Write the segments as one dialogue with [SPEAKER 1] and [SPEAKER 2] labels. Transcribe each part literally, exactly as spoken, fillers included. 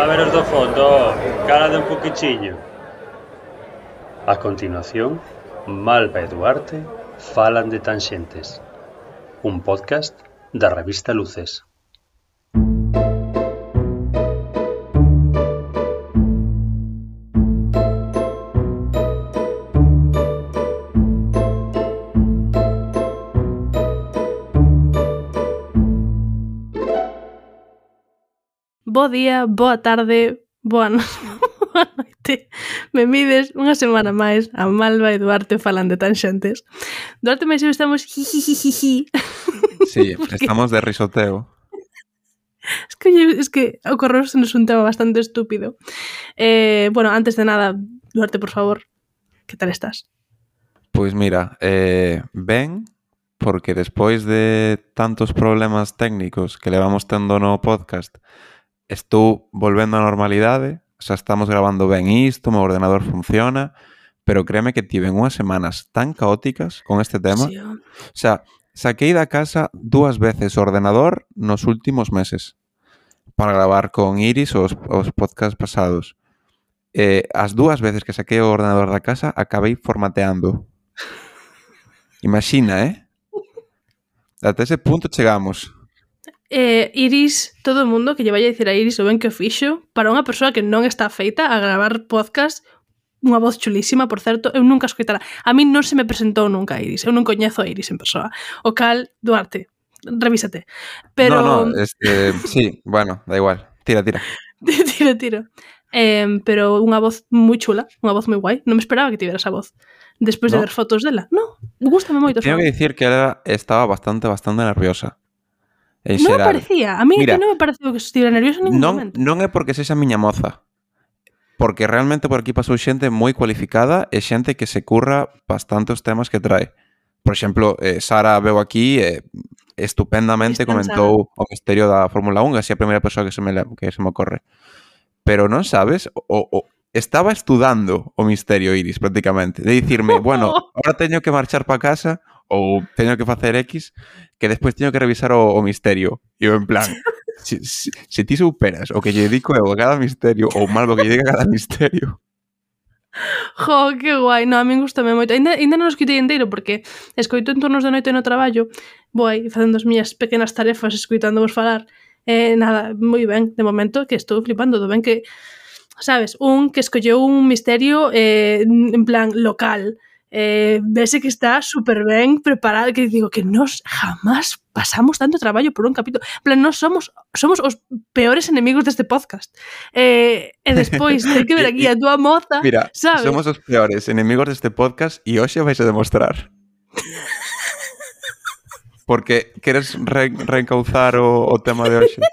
[SPEAKER 1] A ver os do fondo, calade un poquichiño. A continuación, Malva e Duarte falan de Tanxentes, un podcast da revista Luces.
[SPEAKER 2] Bo día, boa tarde, boa, no... boa noite. Benvides unha semana máis a Malva e Duarte falan de Tanxentes. Duarte máis eu estamos jijijijiji.
[SPEAKER 3] Sí,
[SPEAKER 2] Porque...
[SPEAKER 3] estamos de risoteo.
[SPEAKER 2] Es que, es que ocorreusenos un tema bastante estúpido. Eh, bueno, antes de nada, Duarte, por favor, que tal estás?
[SPEAKER 3] Pois mira, eh, ben, porque despois de tantos problemas técnicos que levamos tendo no podcast, estou volvendo á normalidade, xa estamos grabando ben isto, o meu ordenador funciona, pero créeme que tiven unhas semanas tan caóticas con este tema.
[SPEAKER 2] Sí, oh.
[SPEAKER 3] O sea, saquei da casa dúas veces o ordenador nos últimos meses para gravar con Iris os, os podcasts pasados. Eh, as dúas veces que saquei o ordenador da casa acabei formateando. Imagina, eh? Ata ese punto chegamos.
[SPEAKER 2] Eh, Iris, todo o mundo que lle vai a dicir a Iris o ben que o fixo para unha persoa que non está feita a gravar podcast, unha voz chulísima, por certo, eu nunca escoitara. A mí non se me presentou nunca a Iris, eu non coñezo a Iris en persoa. O cal, Duarte, revísate. Pero...
[SPEAKER 3] No, no, este, sí, bueno, da igual. Tira, tira.
[SPEAKER 2] tiro, tiro. Eh, pero unha voz moi chula, unha voz moi guai. Non me esperaba que tivera esa voz. Despois
[SPEAKER 3] ¿No?
[SPEAKER 2] de ver fotos dela. No, gústame moito.
[SPEAKER 3] Tengo que dicir que ela estaba bastante, bastante nerviosa. En
[SPEAKER 2] non
[SPEAKER 3] xeral.
[SPEAKER 2] me parecía. A mí
[SPEAKER 3] Mira,
[SPEAKER 2] que non me pareceu que estivera nerviosa en ningún
[SPEAKER 3] non,
[SPEAKER 2] momento.
[SPEAKER 3] non é porque sexa miña moza. Porque realmente por aquí pasou xente moi cualificada e xente que se curra bastante os temas que trae. Por exemplo, eh, Sara veu aquí e eh, estupendamente comentou o misterio da Fórmula un, así a primeira persoa que se me, que se me ocorre. Pero non sabes, o, o, estaba estudando o misterio Iris prácticamente, de dicirme, bueno, ahora teño que marchar para casa ou teño que facer X, que despois teño que revisar o, o misterio. E eu en plan, se, se, se ti superas o que lle dedico eu a cada misterio ou mal o que lle dedico a cada misterio.
[SPEAKER 2] Jo, que guai. No, a min gustame moito. Ainda, ainda non o escoitei inteiro porque escoito en turnos de noite no traballo, vou aí facendo as miñas pequenas tarefas escoitándovos falar. Eh, nada, moi ben, de momento que estou flipando do ben que, sabes, un que escolleu un misterio eh, en plan local. Eh, vese que está super ben preparado, que digo que nos jamás pasamos tanto traballo por un capítulo. En plan, nos somos somos os peores enemigos deste podcast. Eh, e despois hai que ver aquí a túa moza,
[SPEAKER 3] mira,
[SPEAKER 2] sabes?
[SPEAKER 3] Somos os peores enemigos deste podcast e hoxe vais a demostrar. Porque queres re reencauzar o, o tema de hoxe?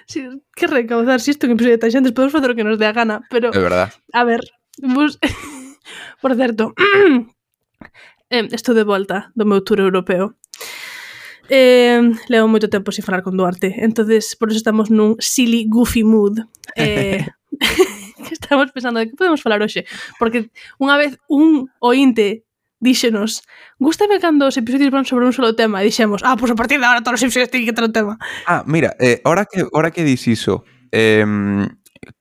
[SPEAKER 2] Sí, que recaudar, si isto que episodio de Tanxentes podemos facer o que nos dé a gana, pero...
[SPEAKER 3] É verdad.
[SPEAKER 2] A ver, bus... por certo, eh, estou de volta do meu tour europeo. Eh, levo moito tempo sin falar con Duarte, entonces por eso estamos nun silly, goofy mood. Eh, que estamos pensando de que podemos falar hoxe, porque unha vez un ointe díxenos, gústame cando os episodios van sobre un solo tema, e dixemos, ah, pois pues a partir de ahora todos os episodios teñen que ter un tema.
[SPEAKER 3] Ah, mira, eh, ahora que ahora que dis iso, eh,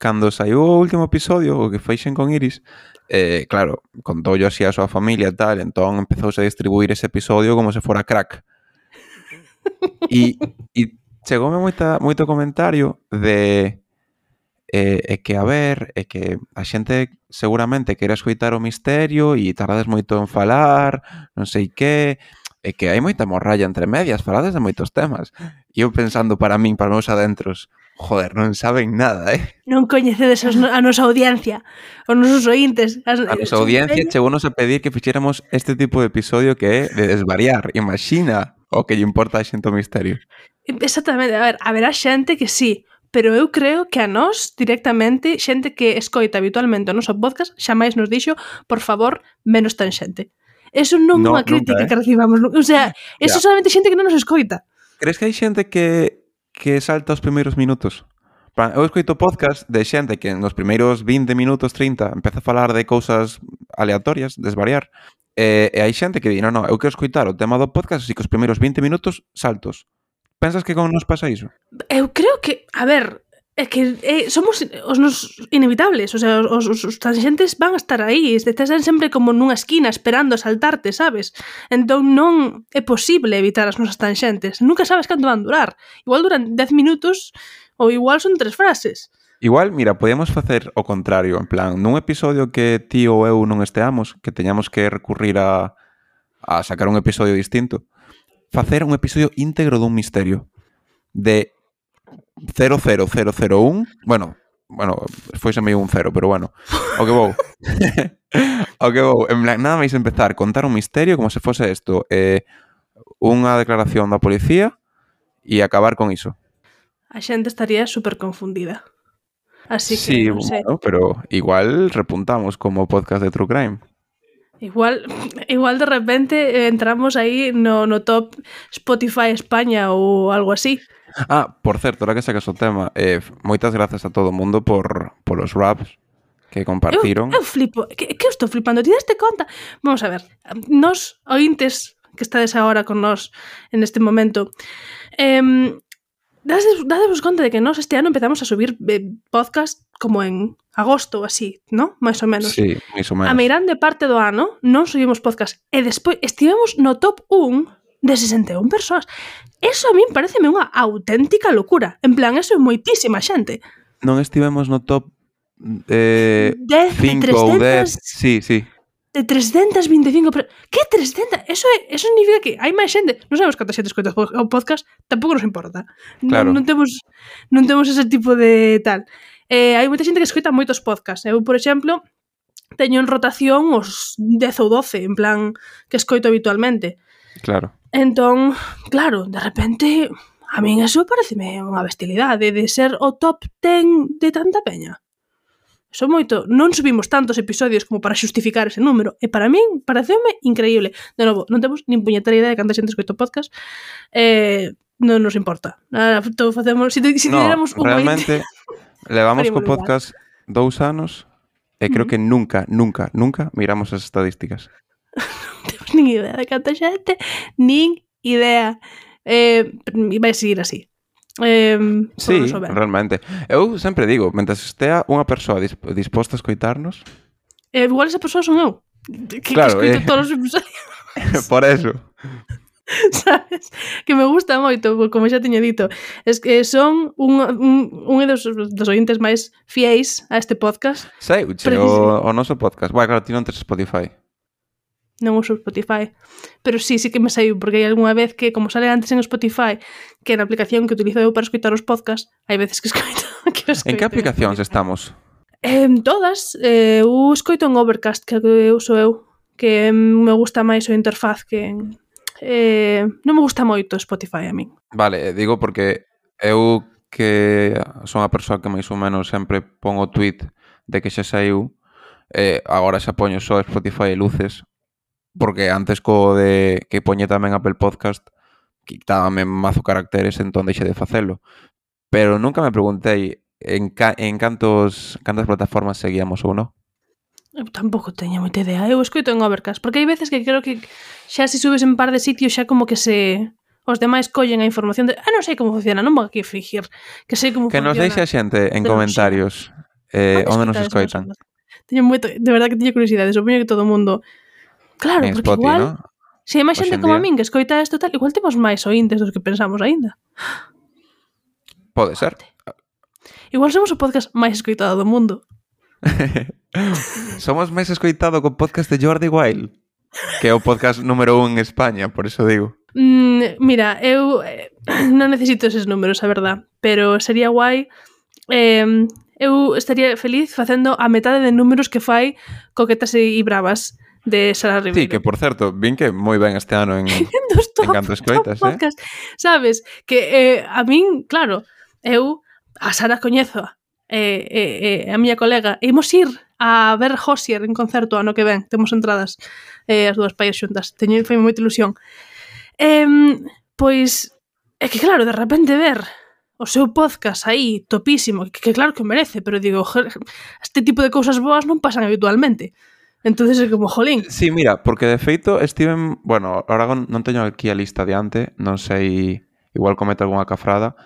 [SPEAKER 3] cando saiu o último episodio, o que feixen con Iris, eh, claro, contou yo así a súa familia e tal, entón empezouse a distribuir ese episodio como se fora crack. E, e chegoume moita, moito comentario de eh, é que, a ver, é que a xente seguramente quere escoitar o misterio e tardades moito en falar, non sei que, é que hai moita morralla entre medias, falades de moitos temas. E eu pensando para min, para meus adentros, joder, non saben nada, eh?
[SPEAKER 2] Non coñecedes a nosa audiencia, os nosos ointes. As,
[SPEAKER 3] a nosa audiencia chegounos a pedir que fixéramos este tipo de episodio que é de desvariar. Imagina o que lle importa a xente o misterio.
[SPEAKER 2] Exactamente, a ver, haberá xente que sí, pero eu creo que a nós, directamente, xente que escoita habitualmente o noso podcast, xamais nos dixo, por favor, menos Tanxente. Eso non é
[SPEAKER 3] no,
[SPEAKER 2] unha crítica
[SPEAKER 3] nunca, eh?
[SPEAKER 2] que recibamos. O sea, eso
[SPEAKER 3] yeah.
[SPEAKER 2] solamente xente que non nos escoita.
[SPEAKER 3] Crees que hai xente que, que salta os primeiros minutos? Eu escoito podcast de xente que nos primeiros vinte minutos, trinta, empeza a falar de cousas aleatorias, desvariar, e, e hai xente que di, non, non, eu quero escoitar o tema do podcast, así que os primeiros vinte minutos saltos. Pensas que con nos pasa iso?
[SPEAKER 2] Eu creo que, a ver, É que eh, somos os nos inevitables, o sea, os, os, os tangentes van a estar aí, están sempre como nunha esquina esperando a saltarte, sabes? Entón non é posible evitar as nosas tangentes, nunca sabes canto van durar. Igual duran dez minutos ou igual son tres frases.
[SPEAKER 3] Igual, mira, podíamos facer o contrario, en plan, nun episodio que ti ou eu non esteamos, que teñamos que recurrir a, a sacar un episodio distinto, facer un episodio íntegro dun misterio de cero cero cero cero un, bueno, bueno, foise meio un cero, pero bueno, o que vou. o que vou, en plan, nada máis empezar, contar un misterio como se fose isto, eh, unha declaración da policía e acabar con iso.
[SPEAKER 2] A xente estaría super confundida. Así que,
[SPEAKER 3] sí,
[SPEAKER 2] non sei.
[SPEAKER 3] Bueno, pero igual repuntamos como podcast de True Crime.
[SPEAKER 2] Igual, igual de repente eh, entramos aí no, no top Spotify España ou algo así.
[SPEAKER 3] Ah, por certo, ahora que sacas o tema, eh, moitas grazas a todo o mundo por, por os raps que compartiron.
[SPEAKER 2] Eu, eu flipo, que, que eu estou flipando, ti daste conta? Vamos a ver, nos ointes que estades agora con nós en este momento, eh, dades, dadevos conta de que nós este ano empezamos a subir eh, podcast como en agosto ou así, ¿no? Mais ou menos.
[SPEAKER 3] Sí, máis ou menos.
[SPEAKER 2] A meirande parte do ano non subimos podcast e despois estivemos no top un de sesenta e un persoas. Eso a min pareceme unha auténtica locura. En plan, eso é moitísima xente.
[SPEAKER 3] Non estivemos no top eh,
[SPEAKER 2] dez,
[SPEAKER 3] cinco ou dez. Sí, sí.
[SPEAKER 2] De trescentas vinte e cinco... Que trescentas? Eso, é, eso significa que hai máis xente. Non sabemos canta xente escoita o podcast, tampouco nos importa.
[SPEAKER 3] Claro.
[SPEAKER 2] Non, non, temos, non temos ese tipo de tal. Eh, hai moita xente que escoita moitos podcasts. Eu, por exemplo, teño en rotación os dez ou doce, en plan, que escoito habitualmente.
[SPEAKER 3] Claro.
[SPEAKER 2] Entón, claro, de repente, a min eso pareceme unha bestialidade de ser o top dez de tanta peña. Eso moito. Non subimos tantos episodios como para xustificar ese número. E para min, pareceume increíble. De novo, non temos nin puñetera idea de canta xente escoito podcast. Eh, non nos importa. Nada, todo facemos... Si, si
[SPEAKER 3] no,
[SPEAKER 2] tiráramos un
[SPEAKER 3] realmente, levamos co podcast dous anos e creo mm. que nunca, nunca, nunca miramos as estadísticas.
[SPEAKER 2] Non temos nin idea de canta xente, nin idea. Eh, vai seguir así. Eh,
[SPEAKER 3] sí, realmente. Eu sempre digo, mentras estea unha persoa disp disposta a escoitarnos,
[SPEAKER 2] eh, igual esa persoa son eu, que,
[SPEAKER 3] claro,
[SPEAKER 2] que escoito
[SPEAKER 3] eh,
[SPEAKER 2] todos os episodios.
[SPEAKER 3] Por eso.
[SPEAKER 2] Sabes? Que me gusta moito, como xa teño dito, es que son un, un, un dos, dos ointes máis fiéis a este podcast.
[SPEAKER 3] Sei, o, o noso podcast. Vai, claro, ti non tes Spotify.
[SPEAKER 2] Non uso Spotify, pero sí, sí que me saiu, porque hai algunha vez que, como sale antes en Spotify, que na aplicación que utilizo eu para escoitar os podcasts, hai veces que escoito. Que escoito
[SPEAKER 3] en que aplicacións estamos?
[SPEAKER 2] En todas. Eh, eu escoito en Overcast, que eu uso eu, que me gusta máis o interfaz que... Eh, non me gusta moito Spotify a min.
[SPEAKER 3] Vale, digo porque eu que son a persoa que máis ou menos sempre pon o tweet de que xa saiu, eh, agora xa poño só Spotify e luces, porque antes co de que poñe tamén Apple Podcast quitábame mazo caracteres, entón deixe de facelo. Pero nunca me preguntei en, ca en cantos cantas plataformas seguíamos ou non.
[SPEAKER 2] Eu tampouco teño moita idea. Eu escoito en Overcast, porque hai veces que creo que xa se subes en par de sitios xa como que se... os demais collen a información de... Ah, non sei como funciona, non vou aquí fingir que sei como
[SPEAKER 3] que
[SPEAKER 2] funciona.
[SPEAKER 3] Que nos deixe a xente en comentarios eh, onde nos escoitan.
[SPEAKER 2] Teño moito... De verdad que teño curiosidade, supoño que todo o mundo... Claro,
[SPEAKER 3] en
[SPEAKER 2] porque
[SPEAKER 3] Spotify,
[SPEAKER 2] igual,
[SPEAKER 3] ¿no?
[SPEAKER 2] Se hai máis xente como a min que escoita isto tal, igual temos máis ointes dos que pensamos aínda.
[SPEAKER 3] Pode ser.
[SPEAKER 2] Igual somos o podcast máis escoitado do mundo.
[SPEAKER 3] Somos máis escoitado co podcast de Jordi Wild, que é o podcast número un en España, por eso digo.
[SPEAKER 2] Mm, mira, eu eh, non necesito eses números, a verdad, pero sería guai... Eh, eu estaría feliz facendo a metade de números que fai Coquetas e Bravas de Sara Ribeiro.
[SPEAKER 3] Sí, que por certo, vin que moi ben este ano en,
[SPEAKER 2] top,
[SPEAKER 3] en canto escoitas, eh?
[SPEAKER 2] Sabes? Que eh, a min, claro, eu a Sara coñezo, eh, eh, eh, a miña colega, imos ir a ver Hozier en concerto ano que ven, temos entradas eh, as dúas paias xuntas, teño, foi moita ilusión. Eh, pois, é que claro, de repente ver o seu podcast aí, topísimo, que, que claro que merece, pero digo, este tipo de cousas boas non pasan habitualmente. Entonces é como, jolín.
[SPEAKER 3] Sí, mira, porque de feito estiven... Bueno, ahora non teño aquí a lista diante, non sei, igual cometo algunha cafrada,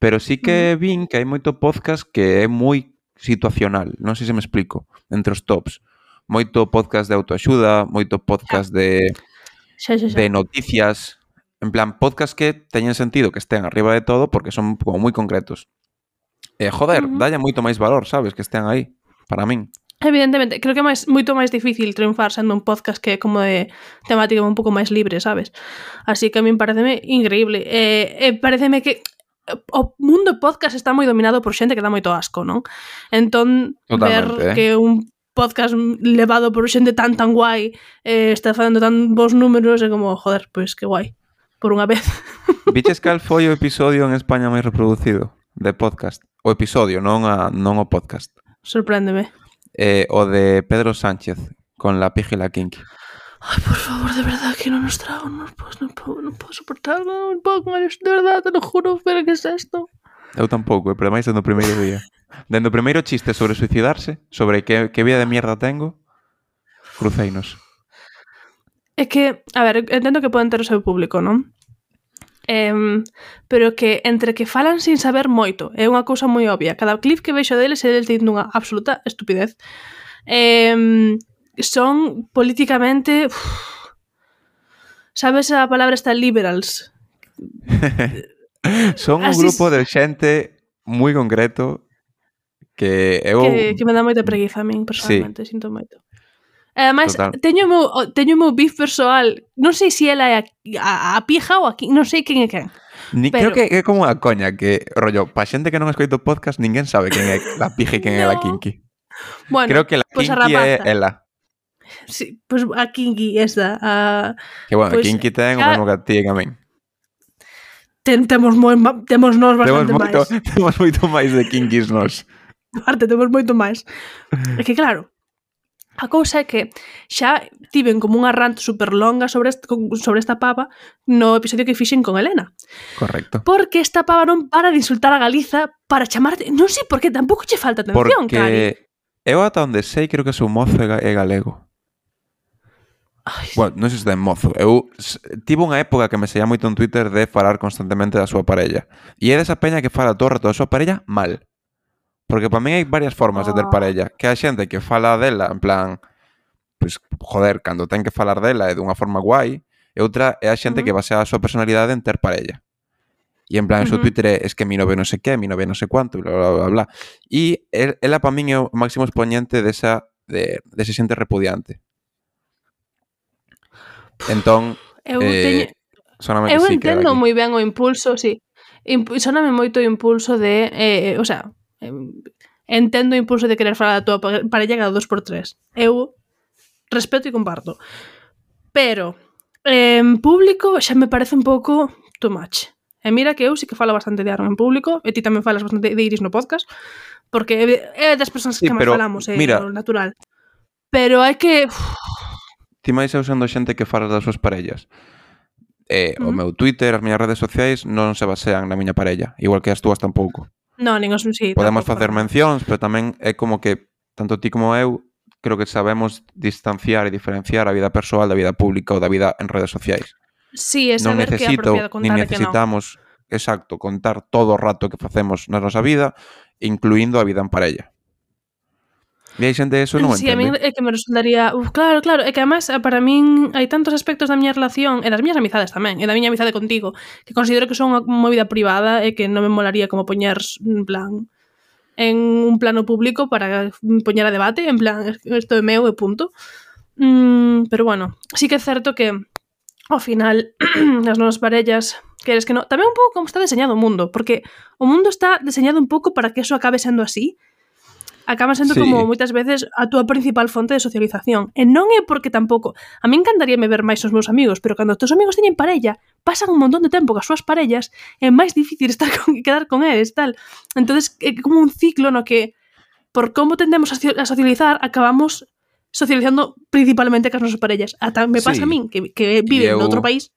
[SPEAKER 3] Pero sí que vin que hai moito podcast que é moi situacional, non sei se me explico, entre os tops. Moito podcast de autoaxuda, moito podcast de,
[SPEAKER 2] Xa, xa, xa.
[SPEAKER 3] de noticias, en plan, podcast que teñen sentido que estén arriba de todo porque son como moi concretos. E, joder,
[SPEAKER 2] Ujú.
[SPEAKER 3] dalle moito máis valor, sabes, que estén aí, para min.
[SPEAKER 2] Evidentemente, creo que é máis, moito máis difícil triunfar sendo un podcast que é como de temática un pouco máis libre, sabes? Así que a min pareceme increíble. E, e pareceme que o mundo podcast está moi dominado por xente que dá moito asco, non? Entón,
[SPEAKER 3] Totalmente,
[SPEAKER 2] ver
[SPEAKER 3] eh.
[SPEAKER 2] que un podcast levado por xente tan tan guai eh, está facendo tan bons números é como, joder, pois que guai, por unha vez.
[SPEAKER 3] Viches cal foi o episodio en España máis reproducido de podcast? O episodio, non, a, non o podcast.
[SPEAKER 2] Sorpréndeme.
[SPEAKER 3] Eh, o de Pedro Sánchez con la pija y la kinky.
[SPEAKER 2] Ay, por favor, de verdad que no nos trago, no puedo, no puedo, no puedo soportarlo, no puedo con esto, de verdad, te lo juro, pero ¿qué es esto?
[SPEAKER 3] Eu tampouco, pero máis dentro do primeiro día. Dentro do primeiro chiste sobre suicidarse, sobre que, que vida de mierda tengo, cruceinos.
[SPEAKER 2] É que, a ver, entendo que poden ter o seu público, non? Eh, pero que entre que falan sin saber moito é unha cousa moi obvia. Cada clip que vexo deles é deles dicindo unha absoluta estupidez. Eh, son políticamente... Uf, sabes a palabra esta liberals?
[SPEAKER 3] Son un
[SPEAKER 2] Así
[SPEAKER 3] grupo
[SPEAKER 2] es.
[SPEAKER 3] de xente moi concreto que eu...
[SPEAKER 2] Que, que me dá moita preguiza a min, personalmente, sí. Sinto moito. E ademais,
[SPEAKER 3] Total.
[SPEAKER 2] teño o meu, teño o meu beef persoal. Non sei se ela é a, a, a pija ou aquí, non sei quen é quen.
[SPEAKER 3] Ni,
[SPEAKER 2] Pero-
[SPEAKER 3] Creo que é como unha coña que, rollo, pa xente que non escoito podcast, ninguén sabe quen é la pija e quen é la
[SPEAKER 2] No.
[SPEAKER 3] kinky.
[SPEAKER 2] Bueno,
[SPEAKER 3] Creo que la
[SPEAKER 2] pues a
[SPEAKER 3] kinky é
[SPEAKER 2] rapaza.
[SPEAKER 3] ela.
[SPEAKER 2] Sí, pues a kinky esta. A,
[SPEAKER 3] Que, bueno,
[SPEAKER 2] Pois,
[SPEAKER 3] a kinky ten o
[SPEAKER 2] xa-
[SPEAKER 3] mesmo que a ti e que a min.
[SPEAKER 2] ten, temos moi, ma- temos nós
[SPEAKER 3] Temos
[SPEAKER 2] bastante
[SPEAKER 3] moito,
[SPEAKER 2] máis.
[SPEAKER 3] temos moito máis de kinkys nos.
[SPEAKER 2] Parte, temos moito máis. É que claro, a cousa é que xa tiven como unha rant super longa sobre, este, sobre esta pava no episodio que fixen con Elena.
[SPEAKER 3] Correcto.
[SPEAKER 2] Porque esta pava non para de insultar a Galiza para chamarte... Non sei por que tampouco che falta atención, Cari.
[SPEAKER 3] Porque eu ata onde sei creo que o seu mozo é, ga- é galego.
[SPEAKER 2] Ai,
[SPEAKER 3] Bueno, non sei se ten mozo. Eu s- tive unha época que me seguía moito en Twitter de falar constantemente da súa parella. E é desa peña que fala todo o rato da súa parella mal. Porque para mí hai varias formas de ter
[SPEAKER 2] Oh.
[SPEAKER 3] parella. Que hai xente que fala dela, en plan, pues, joder, cando ten que falar dela é dunha forma guai. E outra é a xente
[SPEAKER 2] Ujú.
[SPEAKER 3] que basea a súa personalidade en ter parella. E en plan, o seu
[SPEAKER 2] Ujú.
[SPEAKER 3] Twitter é, es que mi novio non sei que, mi novio non sei cuánto, bla, bla, bla, bla. E el, ela para min é o máximo exponente desa, de, dese xente repudiante. Entón,
[SPEAKER 2] eu
[SPEAKER 3] eh,
[SPEAKER 2] teño...
[SPEAKER 3] soname
[SPEAKER 2] Eu
[SPEAKER 3] que sí que era
[SPEAKER 2] entendo
[SPEAKER 3] aquí.
[SPEAKER 2] moi ben o impulso, sí. Imp soname moito o impulso de... Eh, o sea, em, entendo o impulso de querer falar da tua pa- parella cada dos por tres. Eu respeto e comparto. Pero, en público xa me parece un pouco too much. E mira que eu sí que falo bastante de Aaron en público, e ti tamén falas bastante de Iris no podcast, porque é das persoas
[SPEAKER 3] Sí,
[SPEAKER 2] que máis
[SPEAKER 3] pero,
[SPEAKER 2] falamos, é
[SPEAKER 3] mira-
[SPEAKER 2] o natural. Pero hai que... Uf,
[SPEAKER 3] Ti máis eu sendo xente que falas das súas parellas. Eh, O
[SPEAKER 2] Ujú.
[SPEAKER 3] meu Twitter, as miñas redes sociais non se basean na miña parella, igual que as túas tampouco.
[SPEAKER 2] no, nin os... Sí,
[SPEAKER 3] Podemos
[SPEAKER 2] tampouco,
[SPEAKER 3] facer
[SPEAKER 2] para nada.
[SPEAKER 3] mencións, pero tamén é como que tanto ti como eu creo que sabemos distanciar e diferenciar a vida persoal da vida pública ou da vida en redes sociais.
[SPEAKER 2] Sí, é
[SPEAKER 3] Non
[SPEAKER 2] saber que é
[SPEAKER 3] necesito
[SPEAKER 2] apropiado
[SPEAKER 3] ni
[SPEAKER 2] contar e que non.
[SPEAKER 3] necesitamos, exacto, contar todo o rato que facemos na nosa vida, incluindo a vida en parella. E hai xente eso non o
[SPEAKER 2] Sí, a min
[SPEAKER 3] entende.
[SPEAKER 2] é que me resultaría... Uf, claro, claro, é que además para min hai tantos aspectos da miña relación e das miñas amizades tamén, e da miña amizade contigo, que considero que son unha movida privada e que non me molaría como poñer en plan en un plano público para poñer a debate, en plan, isto é meu e punto. Mm, pero bueno, sí que é certo que ao final as nosas parellas, queres que non, tamén un pouco como está deseñado o mundo, porque o mundo está deseñado un pouco para que eso acabe sendo así. Acaba sendo
[SPEAKER 3] Sí.
[SPEAKER 2] como moitas veces a túa principal fonte de socialización. E non é porque tampouco... A mí encantaríame ver máis os meus amigos, pero cando os teus amigos teñen parella, pasan un montón de tempo cas súas parellas, é máis difícil estar con, quedar con eles, tal. Entonces é como un ciclo no que, por como tendemos a, a socializar, acabamos socializando principalmente cas nosas parellas. Ata me pasa
[SPEAKER 3] Sí.
[SPEAKER 2] a min, que, que viven
[SPEAKER 3] eu-
[SPEAKER 2] noutro país.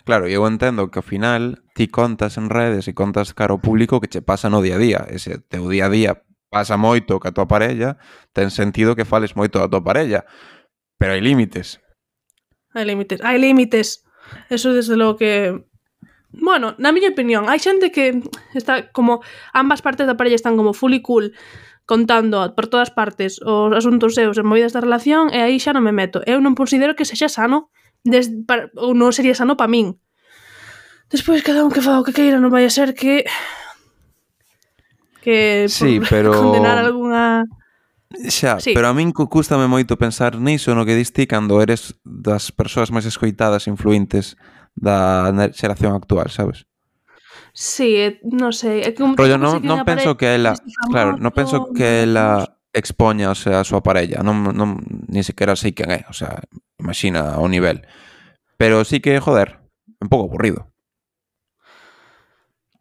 [SPEAKER 3] Claro, e eu entendo que ao final ti contas en redes e contas cara ao público que che pasa no día a día. Ese teu día a día pasa moito ca tua parella, ten sentido que fales moito da tua parella, pero hai límites.
[SPEAKER 2] Hai límites. Hai límites. Eso desde logo que... Bueno, na miña opinión, hai xente que está como ambas partes da parella están como fully cool contando por todas partes os asuntos seus e movidas da relación e aí xa non me meto. Eu non considero que sexa sano des, para, ou non sería sano para min. Despois cada un que faga o que queira, non vai a ser que que
[SPEAKER 3] Sí,
[SPEAKER 2] por
[SPEAKER 3] pero...
[SPEAKER 2] condenar algunha...
[SPEAKER 3] Xa,
[SPEAKER 2] Sí.
[SPEAKER 3] pero a min cu- cústame moito pensar niso no que diste cando eres das persoas máis escoitadas e influentes da ne- xeración actual, sabes?
[SPEAKER 2] Sí, eh, non sei, é como
[SPEAKER 3] Rollo,
[SPEAKER 2] tampouco sei
[SPEAKER 3] non,
[SPEAKER 2] quen
[SPEAKER 3] non penso
[SPEAKER 2] aparece
[SPEAKER 3] que ela,
[SPEAKER 2] este
[SPEAKER 3] claro, non
[SPEAKER 2] famoso,
[SPEAKER 3] penso que ela expoña, o sea, a súa parella, non, non ni sequera sei quen é, o sea, imagina o nivel. Pero sí que, joder, un pouco aburrido.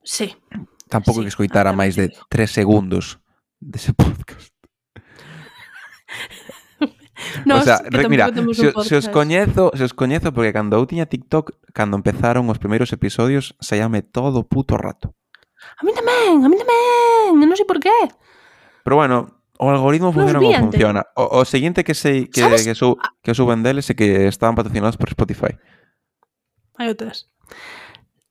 [SPEAKER 2] Sí.
[SPEAKER 3] Tampouco
[SPEAKER 2] Sí,
[SPEAKER 3] que escoitara
[SPEAKER 2] tamén
[SPEAKER 3] máis
[SPEAKER 2] te
[SPEAKER 3] de
[SPEAKER 2] digo.
[SPEAKER 3] tres segundos dese podcast.
[SPEAKER 2] Nos,
[SPEAKER 3] o sea,
[SPEAKER 2] que
[SPEAKER 3] re,
[SPEAKER 2] tampouco
[SPEAKER 3] mira,
[SPEAKER 2] temos
[SPEAKER 3] se,
[SPEAKER 2] un
[SPEAKER 3] se os
[SPEAKER 2] podcast.
[SPEAKER 3] coñezo, se os coñezo porque cando eu tiña TikTok, cando empezaron os primeiros episodios, saíame todo o puto rato.
[SPEAKER 2] A mí tamén, a mí tamén, non sei por qué.
[SPEAKER 3] Pero bueno, o algoritmo funciona como
[SPEAKER 2] víante.
[SPEAKER 3] funciona. O, o seguinte que sei que,
[SPEAKER 2] Sabes?
[SPEAKER 3] que, su, que suben deles é que estaban patrocinados por Spotify.
[SPEAKER 2] Hai outras.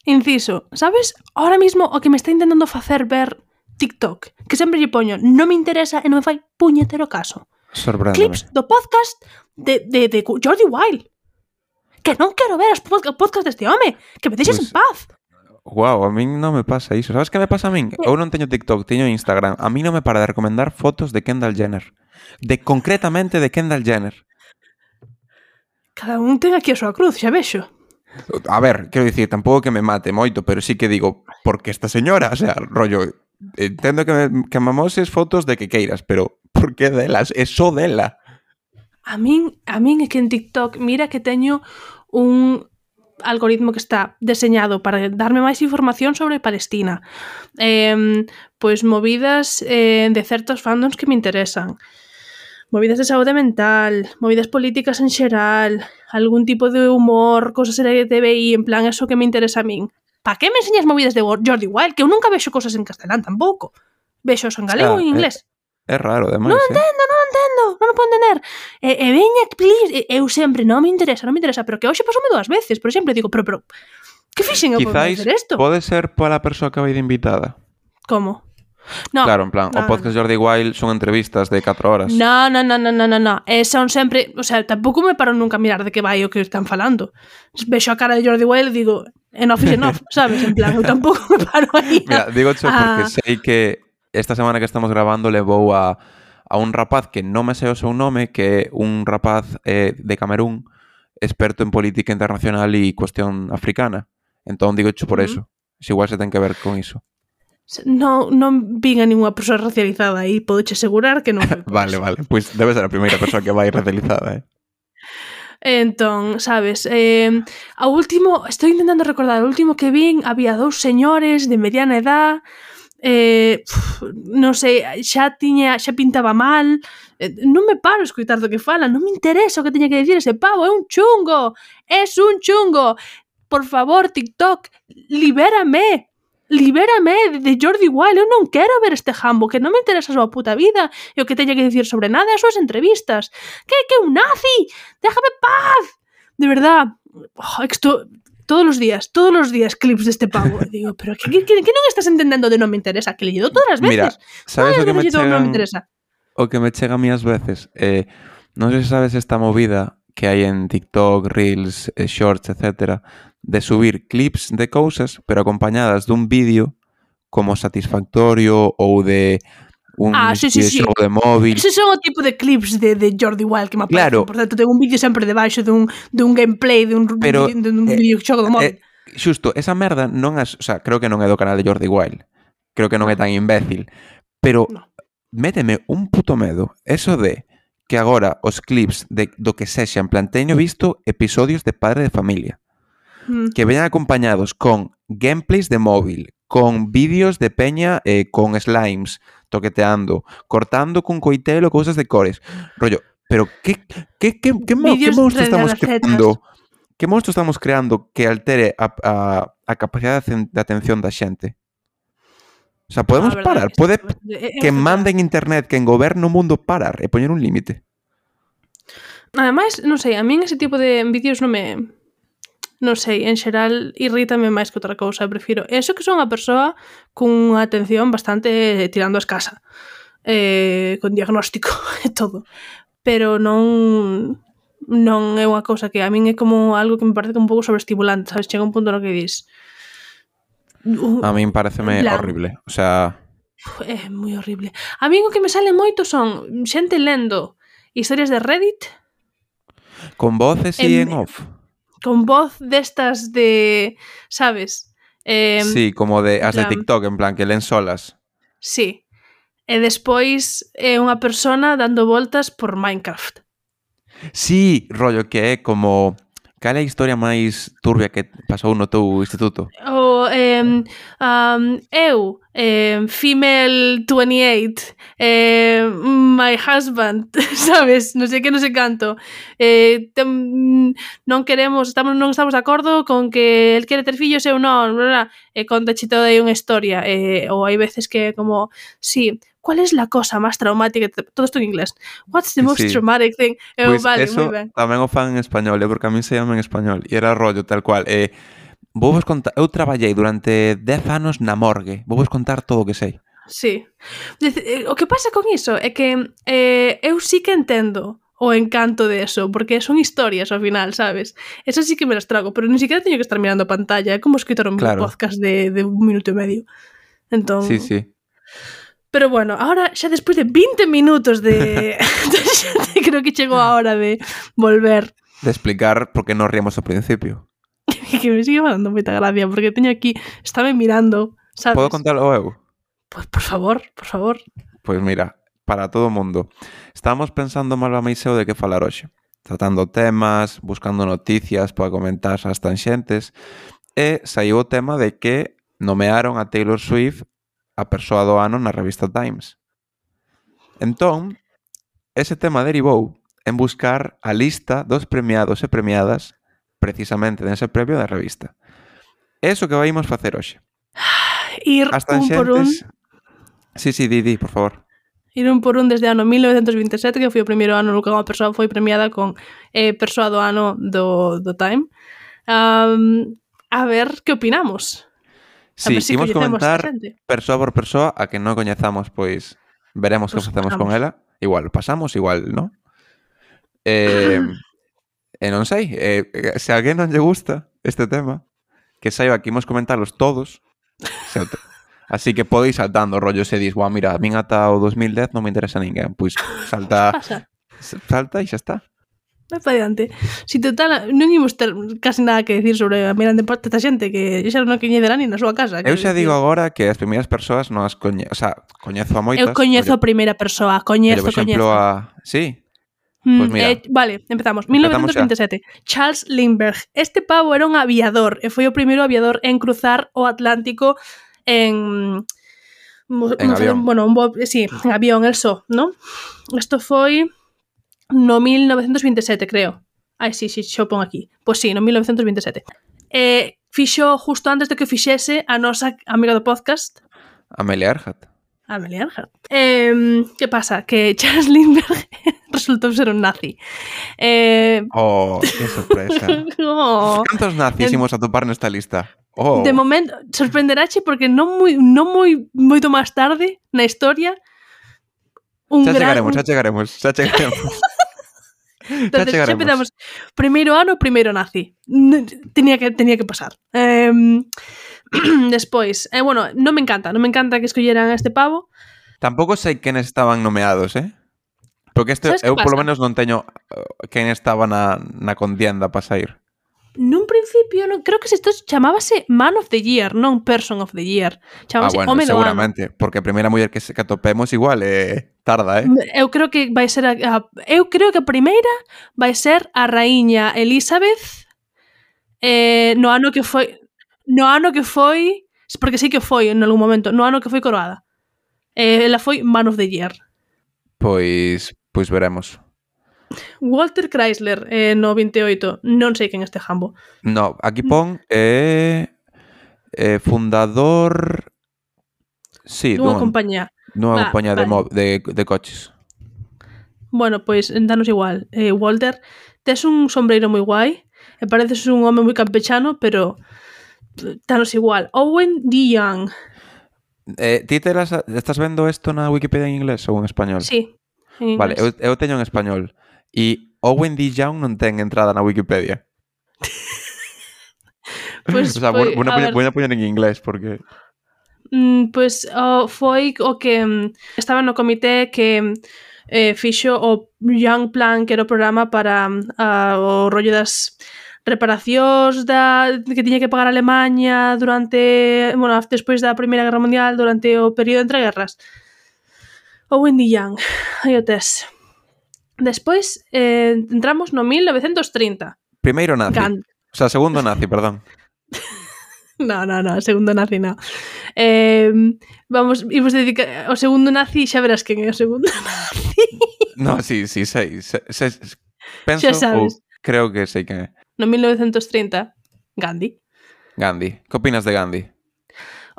[SPEAKER 2] Inciso, sabes? Ahora mismo o que me está intentando facer ver TikTok, que sempre lle poño, non me interesa e non me fai puñetero caso.
[SPEAKER 3] Sorpréndeme.
[SPEAKER 2] Clips do podcast de, de, de Jordi Wild. Que non quero ver os podcast, podcast deste home. Que me deixes
[SPEAKER 3] Pues,
[SPEAKER 2] en paz.
[SPEAKER 3] Guau, a min non me pasa iso. Sabes que me pasa a min? Eu non teño TikTok, teño Instagram. A mí non me para de recomendar fotos de Kendall Jenner. De concretamente de Kendall Jenner.
[SPEAKER 2] Cada un ten aquí a súa cruz, xa vexo.
[SPEAKER 3] A ver, quero dicir, tampouco que me mate moito, pero sí que digo, porque esta señora, o sea, rollo, entendo que me, que me amoses fotos de que queiras, pero por que delas? É só dela.
[SPEAKER 2] A min, a min é que en TikTok, mira que teño un algoritmo que está deseñado para darme máis información sobre Palestina. Eh, pois movidas eh, de certos fandoms que me interesan. Movidas de saúde mental, movidas políticas en xeral, algún tipo de humor, cosas L G T B I, en plan, eso que me interesa a min. Pa que me enseñas movidas de Jordi Wild? Que eu nunca vexo cosas en castelán tampouco. Vexo en galego
[SPEAKER 3] O sea,
[SPEAKER 2] e en inglés.
[SPEAKER 3] É, é raro, demais,
[SPEAKER 2] Non
[SPEAKER 3] eh?
[SPEAKER 2] entendo, non entendo, non o podo entender. E, e veña, please, e, eu sempre, non me interesa, non me interesa, pero que hoxe pasoume dúas veces, por exemplo, digo, pero, pero, que fixen eu por
[SPEAKER 3] Quizáis
[SPEAKER 2] facer isto?
[SPEAKER 3] pode ser pola persoa que vai de invitada.
[SPEAKER 2] Como? No,
[SPEAKER 3] Claro, en plan,
[SPEAKER 2] no,
[SPEAKER 3] o podcast Jordi Wild son entrevistas de catro horas.
[SPEAKER 2] No, no, no, no, no, no, no. E son sempre, o sea, tampouco me paro nunca a mirar de que vai o que están falando. Vexo a cara de Jordi Wild e digo, enough is enough, sabes? En plan, eu tampouco me paro aí.
[SPEAKER 3] Mira, digo xo porque
[SPEAKER 2] a...
[SPEAKER 3] sei que esta semana que estamos grabando levou a, a un rapaz que non me sei o seu nome, que é un rapaz eh, de Camerún, experto en política internacional e cuestión africana. Entón digo xo por
[SPEAKER 2] Uh-huh.
[SPEAKER 3] eso. Se igual se ten que ver con iso.
[SPEAKER 2] Non, non vin a ninguna persoa racializada aí, podoche asegurar que non foi por
[SPEAKER 3] Vale,
[SPEAKER 2] eso.
[SPEAKER 3] vale. Pois debe ser a primeira persoa que vai racializada, eh?
[SPEAKER 2] Entón, sabes, eh, ao último, estou intentando recordar, o último que vin, había dous señores de mediana edad, eh, pf, non sei, xa tiña, xa pintaba mal, eh, non me paro a escoitar do que falan, non me interesa o que teña que dicir ese pavo, é un chungo, é un chungo. Por favor, TikTok, libérame. Libérame de Jordi Wild, eu non quero ver este jambo, que non me interesa a súa puta vida e o que teña que dicir sobre nada as súas entrevistas. Que que un nazi? Déjame paz. De verdad, oh, esto todos os días, todos os días clips deste pavo. E digo, pero que, que, que non estás entendendo de non me interesa? Que le lledo todas as veces.
[SPEAKER 3] Mira, sabes o que me chegan,
[SPEAKER 2] non me interesa.
[SPEAKER 3] o que me chega a mí as veces? Eh, non sei se sabes esta movida que hai en TikTok, Reels, eh, Shorts, etcétera, de subir clips de cousas, pero acompañadas dun vídeo como satisfactorio ou de un
[SPEAKER 2] Ah, sí, sí, sí.
[SPEAKER 3] xogo de móvil.
[SPEAKER 2] Ese son o tipo de clips de, de Jordi Wild que me aparecen.
[SPEAKER 3] Claro.
[SPEAKER 2] Por tanto, tengo un vídeo sempre debaixo dun, dun gameplay, dun,
[SPEAKER 3] Pero,
[SPEAKER 2] dun
[SPEAKER 3] eh,
[SPEAKER 2] videoxogo do móvil.
[SPEAKER 3] Eh, xusto, esa merda non é, o sea, creo que non é do canal de Jordi Wild. Creo que non é tan imbécil, pero
[SPEAKER 2] No.
[SPEAKER 3] méteme un puto medo eso de que agora os clips de, do que sexa, en plan, teño visto episodios de Padre de Familia
[SPEAKER 2] Mm.
[SPEAKER 3] que veñan acompañados con gameplays de móvil, con vídeos de peña eh, con slimes toqueteando, cortando con coitelo cousas de cores, rollo, pero que que que que, mo, que
[SPEAKER 2] Vídeos
[SPEAKER 3] monstro
[SPEAKER 2] de
[SPEAKER 3] estamos
[SPEAKER 2] recetas.
[SPEAKER 3] creando? Que monstro estamos creando que altere a, a, a capacidade de atención da xente? O sea, podemos
[SPEAKER 2] Ah, verdad,
[SPEAKER 3] parar,
[SPEAKER 2] que
[SPEAKER 3] pode
[SPEAKER 2] isto é- é
[SPEAKER 3] que
[SPEAKER 2] verdad.
[SPEAKER 3] manden internet, que en goberno o mundo parar e poñer un límite.
[SPEAKER 2] Ademais, non sei, a min ese tipo de vídeos non me non sei, en xeral irrítame máis que outra cousa, prefiro eso que son unha persoa cunha atención bastante tirando a escasa, eh, con diagnóstico e todo, pero non non é unha cousa que a min é como algo que me parece un pouco sobreestimulante, sabes, chega un punto no que dis uh,
[SPEAKER 3] A min pareceme
[SPEAKER 2] plan,
[SPEAKER 3] horrible, o sea...
[SPEAKER 2] é moi horrible. A min o que me sale moito son xente lendo historias de Reddit
[SPEAKER 3] Con voces e en, en off.
[SPEAKER 2] Con voz destas de, sabes? Eh,
[SPEAKER 3] sí, como de as
[SPEAKER 2] plan,
[SPEAKER 3] de TikTok, en plan, que len solas.
[SPEAKER 2] Sí. E despois é unha persona dando voltas por Minecraft.
[SPEAKER 3] Sí, rollo que é como... Cal é a historia máis turbia que pasou no teu instituto?
[SPEAKER 2] O eh, um, eu, eh, female twenty-eight, eh, my husband, sabes, non sei que, non sei canto, eh, tem, non queremos, estamos, non estamos de acordo con que el quere ter fillos e eu non, bla, bla, e conta toda aí unha historia, eh, ou hai veces que como, sí, ¿cuál es la cosa más traumática? Todo esto en inglés. What's the most sí. traumatic thing? Eu,
[SPEAKER 3] pues
[SPEAKER 2] vale,
[SPEAKER 3] eso
[SPEAKER 2] moi ben.
[SPEAKER 3] Tamén o fan en español, eh, porque a mí se llama en español, e era rollo tal cual, eh, vou vos contar, eu traballei durante dez anos na morgue, vou vos contar todo o que sei.
[SPEAKER 2] Sí. O que pasa con iso é que eh, eu sí que entendo o encanto de eso, porque son historias ao final, sabes? Eso sí que me las trago, pero ni siquiera teño que estar mirando a pantalla, é como escritor un claro. podcast de, de un minuto e medio. Entón...
[SPEAKER 3] Sí, sí.
[SPEAKER 2] Pero bueno, ahora xa despois de vinte minutos de... creo que chegou a hora de volver.
[SPEAKER 3] De explicar por que non ríamos ao principio.
[SPEAKER 2] Que me sigue mandando moita gracia, porque teño aquí, estaba mirando, sabes?
[SPEAKER 3] Podo contarlo eu?
[SPEAKER 2] Pues por favor, por favor.
[SPEAKER 3] Pois mira, para todo o mundo. Estábamos pensando Malva Meiseo de que falar hoxe. Tratando temas, buscando noticias para comentar as tanxentes, e saiu o tema de que nomearon a Taylor Swift a persoa do ano na revista Times. Entón, ese tema derivou en buscar a lista dos premiados e premiadas precisamente nese premio da revista. Eso que vaimos facer hoxe.
[SPEAKER 2] Ir un por un...
[SPEAKER 3] Sí, sí, di, di, por favor.
[SPEAKER 2] Ir un por un desde o ano mil novecentos vinte e sete, que foi o primeiro ano no que unha persoa foi premiada con eh, persoa do ano do, do Time. Um, a ver, que opinamos?
[SPEAKER 3] Sí, si imos comentar persoa por persoa, a que non coñezamos, pois veremos pues que facemos con ela. Igual pasamos, igual, ¿no? Eh, e non sei, eh, se a alguén non lle gusta este tema, que saiba que imos comentarlos todos, así que podeis saltando rollo se dis, guau, mira, a min ata o dos mil dez non me interesa ninguén, pois salta, salta e xa está.
[SPEAKER 2] Vai para diante. Si total, non imos ter casi nada que decir sobre a mirande parte desta xente que xa non coñecerá ni na súa casa.
[SPEAKER 3] Eu xa digo agora que as primeiras persoas non as coñezo, o sea, coñezo a moitas.
[SPEAKER 2] Eu coñezo a primeira persoa, coñezo,
[SPEAKER 3] por exemplo,
[SPEAKER 2] coñezo.
[SPEAKER 3] A... Sí?
[SPEAKER 2] Mm, pues mira. Eh, vale, empezamos. mil novecentos vinte e sete. Charles Lindbergh. Este pavo era un aviador e foi o primeiro aviador en cruzar o Atlántico en...
[SPEAKER 3] En avión.
[SPEAKER 2] Bueno, un bo... sí, en avión, el só, ¿no? Isto foi... no mil novecentos vinte e sete, creo. Ai, sí, sí, xo pon aquí. Pois sí, no mil novecentos vinte e sete. Eh, fixo justo antes de que fixese a nosa amiga do podcast,
[SPEAKER 3] Amelia Earhart.
[SPEAKER 2] Amelia Earhart. Eh, que pasa? Que Charles Lindbergh resultou ser un nazi. Eh...
[SPEAKER 3] Oh, que sorpresa.
[SPEAKER 2] Oh.
[SPEAKER 3] Cantos nazis imos a topar nesta lista? Oh.
[SPEAKER 2] De momento, sorprenderache porque non moi, non moi moito máis tarde na historia un
[SPEAKER 3] xa
[SPEAKER 2] gran...
[SPEAKER 3] chegaremos, xa chegaremos, xa chegaremos.
[SPEAKER 2] Entonces, xa empezamos. Primeiro ano, primeiro nazi. Tenía que, tenía que pasar. Eh, despois, eh, bueno, non me encanta, non me encanta que escolleran a este pavo.
[SPEAKER 3] Tampouco sei quen estaban nomeados, eh? Porque este, eu polo menos non teño quen estaba na, na contienda para sair.
[SPEAKER 2] Nun principio, non, creo que isto chamábase Man of the Year, non Person of the Year. Chamábase
[SPEAKER 3] ah, bueno,
[SPEAKER 2] Home do
[SPEAKER 3] seguramente,
[SPEAKER 2] ano.
[SPEAKER 3] Porque a primeira muller que, que atopemos igual eh, tarda, eh?
[SPEAKER 2] Eu creo que vai ser a, a, eu creo que a primeira vai ser a raíña Elizabeth eh, no ano que foi no ano que foi, porque sí que foi en algún momento, no ano que foi coroada. Eh, ela foi Man of the Year.
[SPEAKER 3] Pois, pois veremos.
[SPEAKER 2] Walter Chrysler eh, no vinte e oito, non sei quen este jambo.
[SPEAKER 3] No, aquí pon eh, eh, fundador sí,
[SPEAKER 2] dunha compañía
[SPEAKER 3] dunha compañía vale. de, de, de coches.
[SPEAKER 2] Bueno, pois pues, danos igual eh, Walter, tes un sombreiro moi guai E pareces un home moi campechano, pero tanos igual. Owen D. Young.
[SPEAKER 3] Eh, ti te las, estás vendo isto na Wikipedia en inglés ou en español?
[SPEAKER 2] Sí, en
[SPEAKER 3] Vale,
[SPEAKER 2] inglés.
[SPEAKER 3] eu, eu teño en español. E Owen D. Young non ten entrada na Wikipedia.
[SPEAKER 2] Pues
[SPEAKER 3] o sea,
[SPEAKER 2] foi,
[SPEAKER 3] vou,
[SPEAKER 2] a ver,
[SPEAKER 3] vou a poñer en inglés porque...
[SPEAKER 2] mm, pues oh, foi o que mm, estaba no comité que eh, fixo o Young Plan, que era o programa para mm, a, o rollo das reparacións da, que tiña que pagar Alemania durante, bueno, despois da Primeira Guerra Mundial, durante o período entre guerras. Owen D. Young, aí o tes. Despois eh, entramos no mil novecentos trinta.
[SPEAKER 3] Primeiro nazi.
[SPEAKER 2] Gandhi.
[SPEAKER 3] O sea, segundo nazi, perdón.
[SPEAKER 2] No, no, no, segundo nazi no. Eh, vamos, imos dedicar o segundo nazi, xa verás quen é o segundo nazi.
[SPEAKER 3] No, sí, sí, sei. sei, sei penso
[SPEAKER 2] Xa sabes.
[SPEAKER 3] ou creo que sei quen é.
[SPEAKER 2] No mil novecentos trinta, Gandhi.
[SPEAKER 3] Gandhi. Que opinas de Gandhi?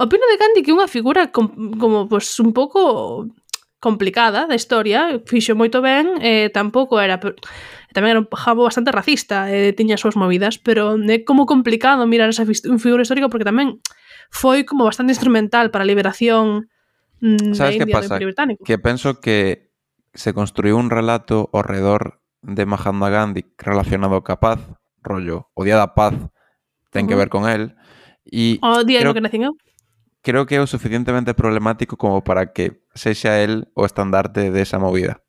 [SPEAKER 2] Opino de Gandhi que é unha figura com, como, pues, un pouco complicada da historia, fixo moito ben, eh, tampouco era... Tamén era un jabo bastante racista, eh, tiña as súas movidas, pero é como complicado mirar esa figura histórica porque tamén foi como bastante instrumental para a liberación mm,
[SPEAKER 3] Sabes
[SPEAKER 2] de
[SPEAKER 3] que
[SPEAKER 2] India
[SPEAKER 3] pasa?
[SPEAKER 2] do Imperio Británico.
[SPEAKER 3] Que penso que se construiu un relato ao redor de Mahatma Gandhi relacionado ca paz, rollo, o Día da Paz ten que
[SPEAKER 2] Uh-huh.
[SPEAKER 3] ver con él, e
[SPEAKER 2] O día
[SPEAKER 3] creo,
[SPEAKER 2] no que nacín eu.
[SPEAKER 3] creo que é o suficientemente problemático como para que sexa el o estandarte desa movida.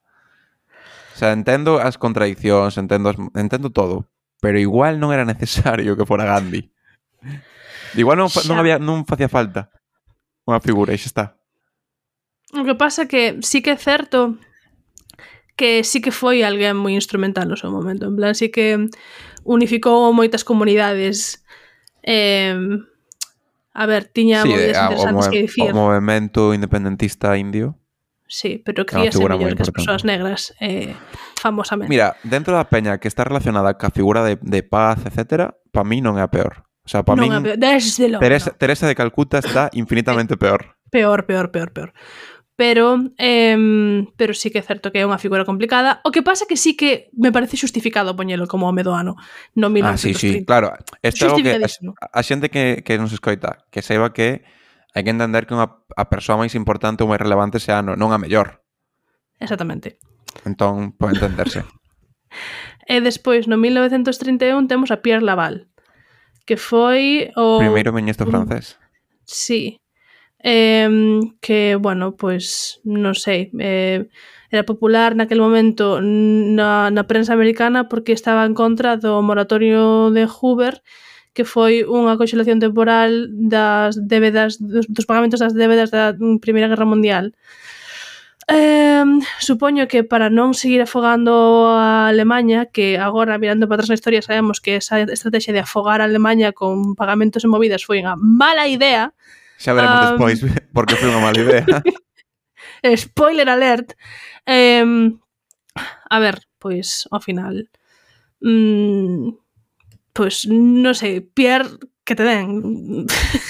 [SPEAKER 3] O sea, entendo as contradiccións, entendo, as, entendo todo, pero igual non era necesario que fora Gandhi. Igual non, fa- non,
[SPEAKER 2] Xa.
[SPEAKER 3] había, non facía falta unha figura, e xa está.
[SPEAKER 2] O que pasa que sí que é certo que sí que foi alguén moi instrumental no seu momento. En plan, sí que unificou moitas comunidades. Eh, a ver, tiña
[SPEAKER 3] Sí,
[SPEAKER 2] movidas
[SPEAKER 3] a, o,
[SPEAKER 2] interesantes
[SPEAKER 3] move,
[SPEAKER 2] que dicir.
[SPEAKER 3] o movemento independentista indio.
[SPEAKER 2] Sí, pero
[SPEAKER 3] É unha
[SPEAKER 2] críase
[SPEAKER 3] figura
[SPEAKER 2] mellor
[SPEAKER 3] moi
[SPEAKER 2] que as
[SPEAKER 3] importante.
[SPEAKER 2] persoas negras, eh, famosamente.
[SPEAKER 3] Mira, dentro da peña que está relacionada ca figura de, de paz, etcétera, pa mí non é a peor. O sea, pa
[SPEAKER 2] non
[SPEAKER 3] min
[SPEAKER 2] é peor. Desde logo,
[SPEAKER 3] Teresa,
[SPEAKER 2] no.
[SPEAKER 3] Teresa de Calcuta está infinitamente peor.
[SPEAKER 2] Peor, peor, peor, peor. Pero, eh, pero sí que é certo que é unha figura complicada. O que pasa que sí que me parece xustificado poñelo como home do ano no
[SPEAKER 3] Ah, sí, sí,
[SPEAKER 2] mil novecentos trinta.
[SPEAKER 3] claro. Isto é algo que a,
[SPEAKER 2] Xustificadísimo.
[SPEAKER 3] a xente que, que nos escoita, que saiba que hai que entender que unha, a persoa máis importante ou máis relevante sea no, non a mellor.
[SPEAKER 2] Exactamente.
[SPEAKER 3] Entón, pode entenderse.
[SPEAKER 2] E despois, no mil novecentos trinta e un, temos a Pierre Laval, que foi o...
[SPEAKER 3] Primeiro ministro
[SPEAKER 2] un-
[SPEAKER 3] francés.
[SPEAKER 2] Sí. Eh, que, bueno, pois, non sei, eh, era popular naquel momento na, na prensa americana porque estaba en contra do moratorio de Hoover, que foi unha conxelación temporal das débedas, dos, dos pagamentos das débedas da Primeira Guerra Mundial. Eh, supoño que para non seguir afogando a Alemanya, que agora, mirando para atrás na historia, sabemos que esa estrategia de afogar a Alemanya con pagamentos e movidas foi unha mala idea.
[SPEAKER 3] Xa veremos
[SPEAKER 2] Um,
[SPEAKER 3] despois porque foi unha mala idea.
[SPEAKER 2] Spoiler alert. Eh, a ver, pois, ao final... Mm, pois, non sei, Pierre, que te den.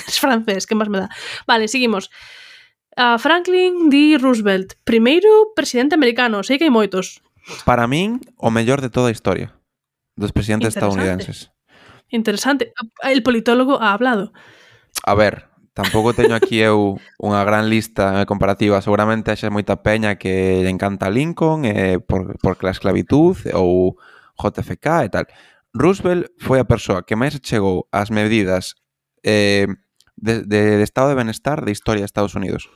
[SPEAKER 2] Es francés, que máis me dá. Vale, seguimos. A Franklin D. Roosevelt, primeiro presidente americano. Sei que hai moitos.
[SPEAKER 3] Para min, o mellor de toda a historia dos presidentes
[SPEAKER 2] Interesante.
[SPEAKER 3] estadounidenses.
[SPEAKER 2] Interesante. El politólogo ha hablado.
[SPEAKER 3] A ver, tampouco teño aquí eu unha gran lista comparativa. Seguramente haxa moita peña que lle encanta Lincoln eh, por, por la esclavitud ou J F K e tal. Roosevelt foi a persoa que máis chegou ás medidas eh, de, de, de estado de benestar de historia de Estados Unidos.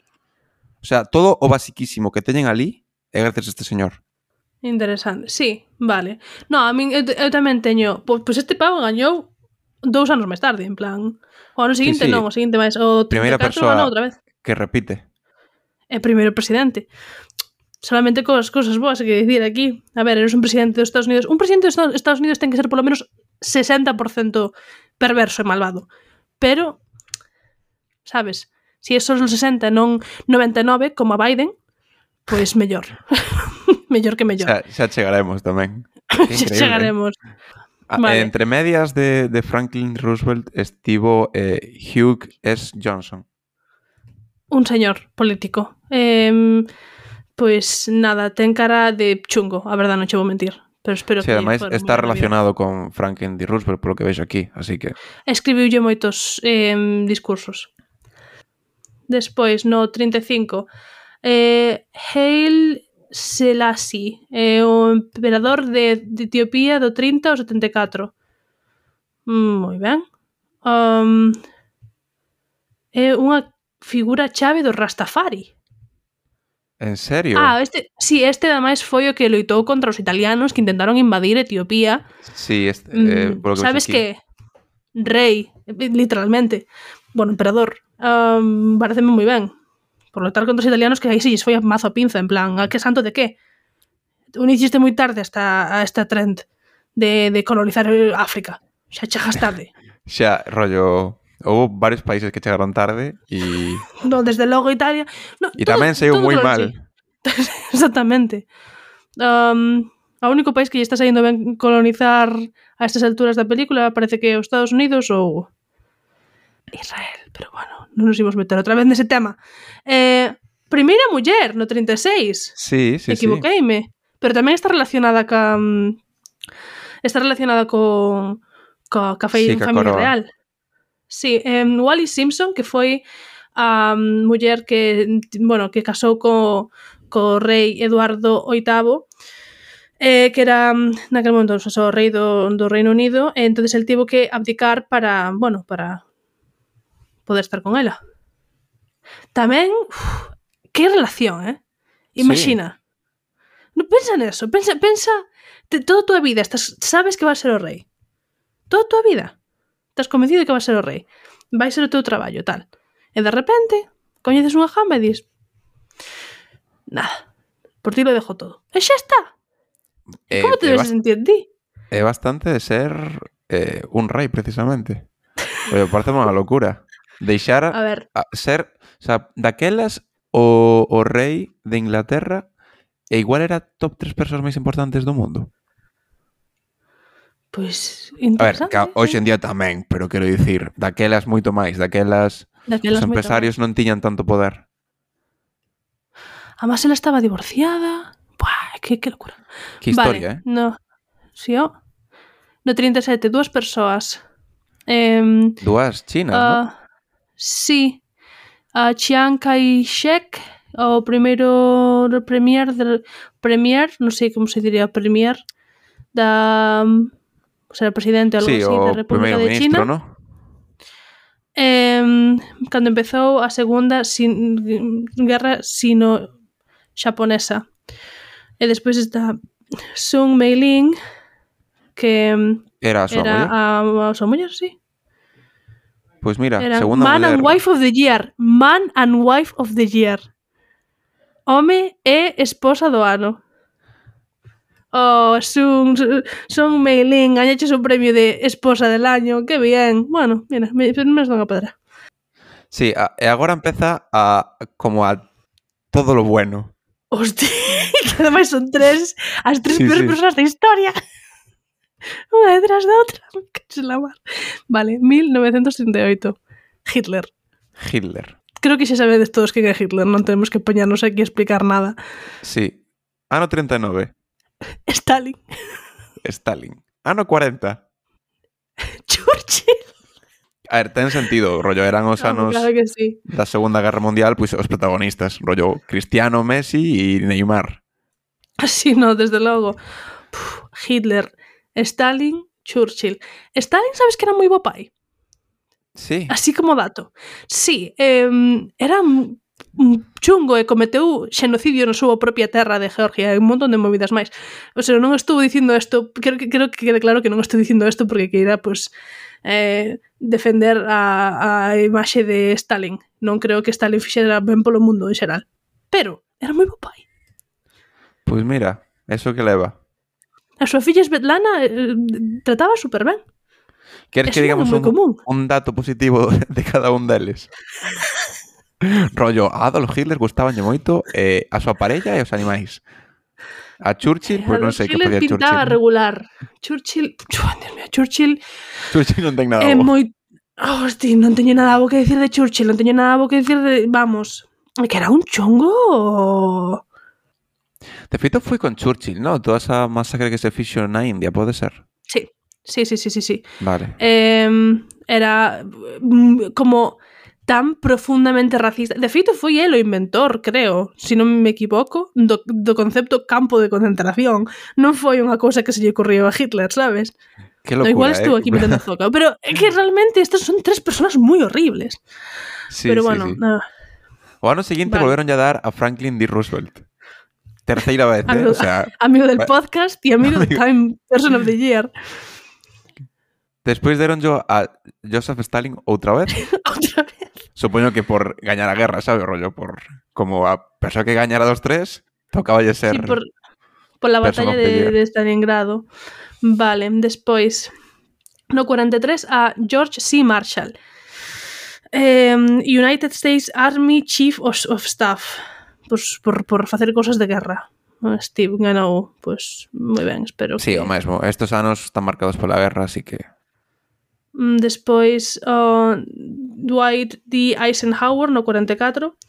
[SPEAKER 3] O sea, todo o basiquísimo que teñen ali é gracias a este señor.
[SPEAKER 2] Interesante. Sí, vale. No, a min, eu, eu tamén teño... Pois, pois este pavo gañou dous anos máis tarde, en plan... O ano seguinte
[SPEAKER 3] Sí, sí.
[SPEAKER 2] non, o seguinte máis... O
[SPEAKER 3] Primeira
[SPEAKER 2] trinta e catro
[SPEAKER 3] persoa
[SPEAKER 2] ganou outra vez.
[SPEAKER 3] que repite.
[SPEAKER 2] É primeiro presidente. Solamente cosas, cosas boas hai que dicir aquí. A ver, eres un presidente dos Estados Unidos. Un presidente dos Estados Unidos ten que ser polo menos sesenta por ciento perverso e malvado. Pero, sabes, se si é só os sesenta e non noventa e nove, como a Biden, pois mellor. Mellor que mellor.
[SPEAKER 3] Xa, xa chegaremos tamén.
[SPEAKER 2] Xa chegaremos.
[SPEAKER 3] Ah,
[SPEAKER 2] Vale.
[SPEAKER 3] Entre medias de, de Franklin Roosevelt estivo eh, Hugh S. Johnson.
[SPEAKER 2] Un señor político. Eh, pois nada, ten cara de chungo, a verdade non che vou mentir. pero espero
[SPEAKER 3] sí,
[SPEAKER 2] que
[SPEAKER 3] ademais
[SPEAKER 2] fora
[SPEAKER 3] está
[SPEAKER 2] moi
[SPEAKER 3] relacionado con Franklin D. Roosevelt polo que vexo aquí, así que...
[SPEAKER 2] Escribiulle moitos eh, discursos. Despois, no trinta e cinco, eh, Haile Selassie, eh, o emperador de, de Etiopía do trinta ao setenta e catro. Moi ben. Um, é unha figura chave do Rastafari.
[SPEAKER 3] En serio?
[SPEAKER 2] Ah, este, sí, este ademais foi o que loitou contra os italianos que intentaron invadir Etiopía.
[SPEAKER 3] Sí, este, eh,
[SPEAKER 2] Mm,
[SPEAKER 3] polo que
[SPEAKER 2] sabes
[SPEAKER 3] vexo aquí.
[SPEAKER 2] que rei, literalmente, bueno, emperador, um, pareceme moi ben. Por loitar contra os italianos que aí se lles foi a mazo a pinza, en plan, a que santo de que? Uniciste moi tarde esta, a esta trend de, de colonizar África. Xa chegas tarde.
[SPEAKER 3] Xa, rollo... Houve varios países que chegaron tarde e...
[SPEAKER 2] No, desde logo Italia. No,
[SPEAKER 3] E tamén saiu moi mal.
[SPEAKER 2] Exactamente. Um, o único país que lle está saindo ben colonizar a estas alturas da película parece que é os Estados Unidos ou Israel, pero bueno, non nos imos meter outra vez nese tema. Eh, primeira muller no trinta e seis.
[SPEAKER 3] Sí, sí,
[SPEAKER 2] Equivoqueime. Sí. Pero tamén está relacionada ca... Está relacionada con... Ca, ca
[SPEAKER 3] Sí, ca
[SPEAKER 2] familia
[SPEAKER 3] coroa.
[SPEAKER 2] real. Sí, eh, Wallis Simpson, que foi a um, muller que, bueno, que casou co, co rei Eduardo oitavo, eh, que era naquele momento o rei do, do Reino Unido, e entonces el tivo que abdicar para, bueno, para poder estar con ela. Tamén, uf, que relación, eh? Imagina. Sí. No, pensa neso, pensa, pensa te, toda a tua vida, estás, sabes que va a ser o rei. Toda a tua vida. Estás convencido de que va a ser o rei. Vai ser o teu traballo, tal. E de repente, coñeces unha jamba e dis nada, por ti lo dejo todo. E xa está. Eh, Como te debes sentir ti?
[SPEAKER 3] É bastante de ser eh, un rei, precisamente. Pero parece unha locura. Deixar a,
[SPEAKER 2] a ver.
[SPEAKER 3] A ser... O sea, daquelas o, o rei de Inglaterra e igual era top tres persoas máis importantes do mundo.
[SPEAKER 2] Pois, pues,
[SPEAKER 3] A
[SPEAKER 2] interesante.
[SPEAKER 3] ver, hoxe en día tamén, pero quero dicir, daquelas moito máis, daquelas, daquelas os empresarios non tiñan tanto poder.
[SPEAKER 2] Además, ela estaba divorciada. Buah, que, que locura.
[SPEAKER 3] Que historia,
[SPEAKER 2] vale,
[SPEAKER 3] eh?
[SPEAKER 2] No, sí, oh. No trinta e sete, dúas persoas. Eh,
[SPEAKER 3] Dúas chinas, uh, non?
[SPEAKER 2] Sí. A Chiang Kai-shek, o primeiro premier, de, premier, non sei como se diría premier, da... O sea, presidente ou algo
[SPEAKER 3] sí,
[SPEAKER 2] así da República de
[SPEAKER 3] ministro,
[SPEAKER 2] China.
[SPEAKER 3] ¿no?
[SPEAKER 2] Eh, cando empezou a segunda sin, guerra sino-xaponesa. E despois está Sun Mei-ling, que
[SPEAKER 3] era a súa
[SPEAKER 2] era
[SPEAKER 3] muller.
[SPEAKER 2] A, a súa muller, sí.
[SPEAKER 3] Pois pues mira,
[SPEAKER 2] era
[SPEAKER 3] segunda
[SPEAKER 2] Man
[SPEAKER 3] muller...
[SPEAKER 2] and Wife of the Year. Man and Wife of the Year. Home e esposa do ano. Oh, Sun, Sun Mei-ling, gañaches un premio de esposa del año, que bien. Bueno, mira, me, me dan a pedra.
[SPEAKER 3] Sí, a, e agora empeza a como a todo lo bueno.
[SPEAKER 2] Hostia, que ademais son tres, as tres
[SPEAKER 3] sí,
[SPEAKER 2] peores
[SPEAKER 3] sí.
[SPEAKER 2] persoas da historia. Unha detrás da outra. Que la mar. Vale, mil novecentos trinta e oito. Hitler.
[SPEAKER 3] Hitler.
[SPEAKER 2] Creo que xa sabedes todos quen é Hitler, non tenemos que poñarnos aquí a explicar nada.
[SPEAKER 3] Sí. Ano trinta e nove.
[SPEAKER 2] Stalin.
[SPEAKER 3] Stalin. Ano cuarenta.
[SPEAKER 2] Churchill.
[SPEAKER 3] A ver, ten sentido, rollo, eran os anos
[SPEAKER 2] claro que sí.
[SPEAKER 3] da Segunda Guerra Mundial, pois os protagonistas, rollo Cristiano, Messi e Neymar.
[SPEAKER 2] Así no, desde logo. Puf, Hitler, Stalin, Churchill. Stalin, sabes que era moi bo pai?
[SPEAKER 3] Sí.
[SPEAKER 2] Así como dato. Sí, eh, era chungo e cometeu xenocidio na súa propia terra de Georgia e un montón de movidas máis. O sea, non estou dicindo isto, creo que, creo que quede claro que non estou dicindo isto porque queira, pues, eh, defender a, a imaxe de Stalin. Non creo que Stalin fixera ben polo mundo en xeral. Pero, era moi bo pai.
[SPEAKER 3] Pois mira, eso que leva.
[SPEAKER 2] A súa filla Svetlana eh, trataba super ben.
[SPEAKER 3] Queres que digamos un, un dato positivo de cada un deles? Rollo, a Adolf Hitler gustabanlle moito eh, a súa parella e os animais. A Churchill, pois pues non sei que podía Churchill.
[SPEAKER 2] Pintaba regular. Churchill, Dios mío, Churchill.
[SPEAKER 3] Churchill non ten nada
[SPEAKER 2] é
[SPEAKER 3] bo.
[SPEAKER 2] moi, oh, hosti, non teño nada bo que decir de Churchill, non teño nada bo que decir de, vamos, que era un chongo.
[SPEAKER 3] De feito foi con Churchill, ¿no? Toda esa masacre que se fixo na India, pode ser?
[SPEAKER 2] Sí, sí, sí, sí, sí, sí.
[SPEAKER 3] Vale.
[SPEAKER 2] Eh, era mm, como tan profundamente racista. De feito, foi el o inventor, creo, se non me equivoco, do, do concepto campo de concentración. Non foi unha cousa que se lle ocurriu a Hitler, sabes?
[SPEAKER 3] Que
[SPEAKER 2] No,
[SPEAKER 3] locura,
[SPEAKER 2] igual estuvo
[SPEAKER 3] eh?
[SPEAKER 2] aquí metendo zoca. Pero é que realmente estas son tres personas moi horribles.
[SPEAKER 3] Sí,
[SPEAKER 2] pero
[SPEAKER 3] sí,
[SPEAKER 2] bueno,
[SPEAKER 3] sí.
[SPEAKER 2] nada.
[SPEAKER 3] O ano seguinte
[SPEAKER 2] Vale.
[SPEAKER 3] volveron a dar a Franklin D. Roosevelt. Terceira vez, eh?
[SPEAKER 2] Amigo,
[SPEAKER 3] O sea,
[SPEAKER 2] amigo del
[SPEAKER 3] va-
[SPEAKER 2] podcast y amigo del
[SPEAKER 3] amigo.
[SPEAKER 2] Time Person of the Year.
[SPEAKER 3] despois deron yo a Joseph Stalin outra vez.
[SPEAKER 2] Otra vez.
[SPEAKER 3] Supoño que por gañar a guerra, sabe, rollo, por como a persoa que gañara dos tres, tocaba lle ser.
[SPEAKER 2] Sí, por, por la
[SPEAKER 3] Person
[SPEAKER 2] batalla
[SPEAKER 3] of the
[SPEAKER 2] de,
[SPEAKER 3] Year.
[SPEAKER 2] de Stalingrado. Vale, despois no cuarenta e tres a George C. Marshall. Eh, United States Army Chief of, of Staff. Pues por, por facer cosas de guerra. Steve ganou, pues moi ben, espero
[SPEAKER 3] Sí,
[SPEAKER 2] que...
[SPEAKER 3] o mesmo. Estos anos están marcados pola guerra, así que...
[SPEAKER 2] Mm, Despois o Dwight D. Eisenhower no cuarenta e catro,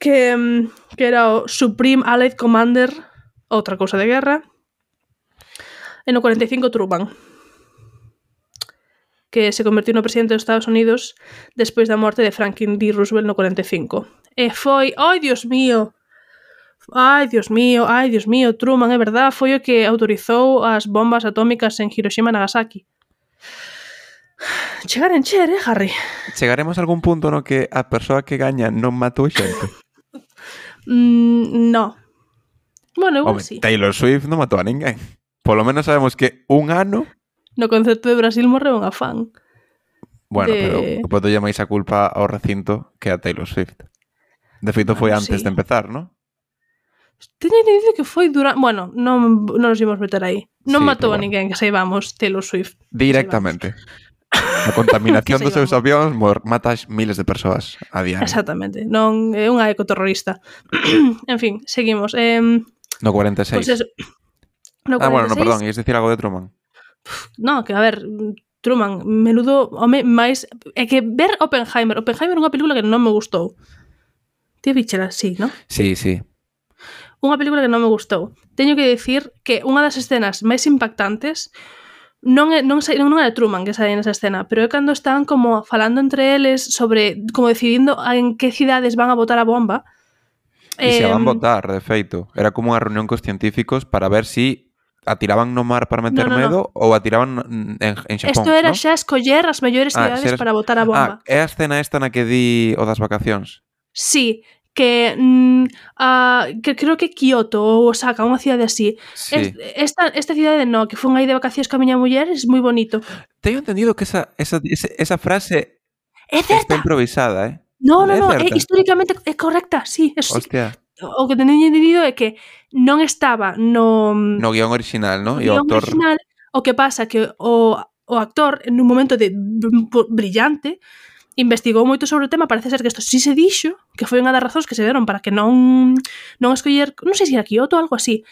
[SPEAKER 2] que, mm, que era o Supreme Allied Commander, outra cousa de guerra. E no cuarenta e cinco Truman, que se convertiu no presidente dos Estados Unidos despois da morte de Franklin D. Roosevelt no cuarenta e cinco. E foi, ai Dios mío, ai Dios mío, ai Dios mío, Truman, é verdad, foi o que autorizou as bombas atómicas en Hiroshima e Nagasaki. Chegar a encher, eh, Harry?
[SPEAKER 3] Chegaremos a algún punto no que a persoa que gaña non matou xente.
[SPEAKER 2] Mm, no. Bueno, igual
[SPEAKER 3] Home,
[SPEAKER 2] sí.
[SPEAKER 3] Taylor Swift non matou a ninguén. Polo menos sabemos que un ano...
[SPEAKER 2] No concerto de Brasil morreu unha fan.
[SPEAKER 3] Bueno,
[SPEAKER 2] De-
[SPEAKER 3] pero boto lle máis a culpa ao recinto que a Taylor Swift. De feito foi
[SPEAKER 2] Bueno,
[SPEAKER 3] antes
[SPEAKER 2] sí.
[SPEAKER 3] de empezar, ¿no?
[SPEAKER 2] Teño entendido que foi durante... Bueno, non, non nos íbamos meter aí. Non
[SPEAKER 3] Sí,
[SPEAKER 2] matou
[SPEAKER 3] pero
[SPEAKER 2] a
[SPEAKER 3] bueno.
[SPEAKER 2] ninguén, que saibamos, Taylor Swift.
[SPEAKER 3] Directamente. A contaminación
[SPEAKER 2] Que
[SPEAKER 3] dos seus
[SPEAKER 2] saibamos.
[SPEAKER 3] avións mor- mata a miles de persoas a diario.
[SPEAKER 2] Exactamente. Non é unha ecoterrorista. En fin, seguimos. Eh,
[SPEAKER 3] No cuarenta e seis.
[SPEAKER 2] Pois eso. No
[SPEAKER 3] ah, bueno, no,
[SPEAKER 2] cuarenta e seis,
[SPEAKER 3] perdón, ias dicir algo de Truman.
[SPEAKER 2] No, que a ver, Truman, menudo home máis... É que ver Oppenheimer, Oppenheimer é unha película que non me gustou. Ti vichela, sí, non?
[SPEAKER 3] Sí, sí.
[SPEAKER 2] Unha película que non me gustou. Teño que dicir que unha das escenas máis impactantes non é, non, sei, non é de Truman que sai nesa escena, pero é cando están como falando entre eles sobre, como decidindo en que cidades van a botar a bomba.
[SPEAKER 3] E se a van
[SPEAKER 2] Em,
[SPEAKER 3] votar, de feito. Era como unha reunión cos científicos para ver si atiraban no mar para meter
[SPEAKER 2] No, no, no.
[SPEAKER 3] medo ou atiraban en, en Xapón,
[SPEAKER 2] Isto era
[SPEAKER 3] ¿no?
[SPEAKER 2] xa escoller as mellores
[SPEAKER 3] Ah,
[SPEAKER 2] cidades
[SPEAKER 3] xeres-
[SPEAKER 2] para botar a bomba.
[SPEAKER 3] Ah, é a escena esta na que di o das vacacións.
[SPEAKER 2] Sí, que mm, ah, que creo que Kioto ou Osaka, unha cidade así.
[SPEAKER 3] Sí.
[SPEAKER 2] Es- Esta, esta cidade no, que fun aí de vacacións ca miña muller, é moi bonito.
[SPEAKER 3] Teño entendido que esa, esa, esa, esa frase
[SPEAKER 2] É
[SPEAKER 3] está
[SPEAKER 2] certa.
[SPEAKER 3] improvisada, eh?
[SPEAKER 2] No, no,
[SPEAKER 3] É
[SPEAKER 2] no, é
[SPEAKER 3] certa.
[SPEAKER 2] históricamente é correcta, sí, eso sí.
[SPEAKER 3] Hostia,
[SPEAKER 2] O que teño entendido é que non estaba no,
[SPEAKER 3] no guión original, ¿no?
[SPEAKER 2] no
[SPEAKER 3] E o
[SPEAKER 2] guión
[SPEAKER 3] autor...
[SPEAKER 2] original, o que pasa que o, o actor, en un momento de br- brillante, investigou moito sobre o tema, parece ser que isto sí se dixo, que foi unha das razóns que se deron para que non non escoller, non sei se era Kyoto ou algo así.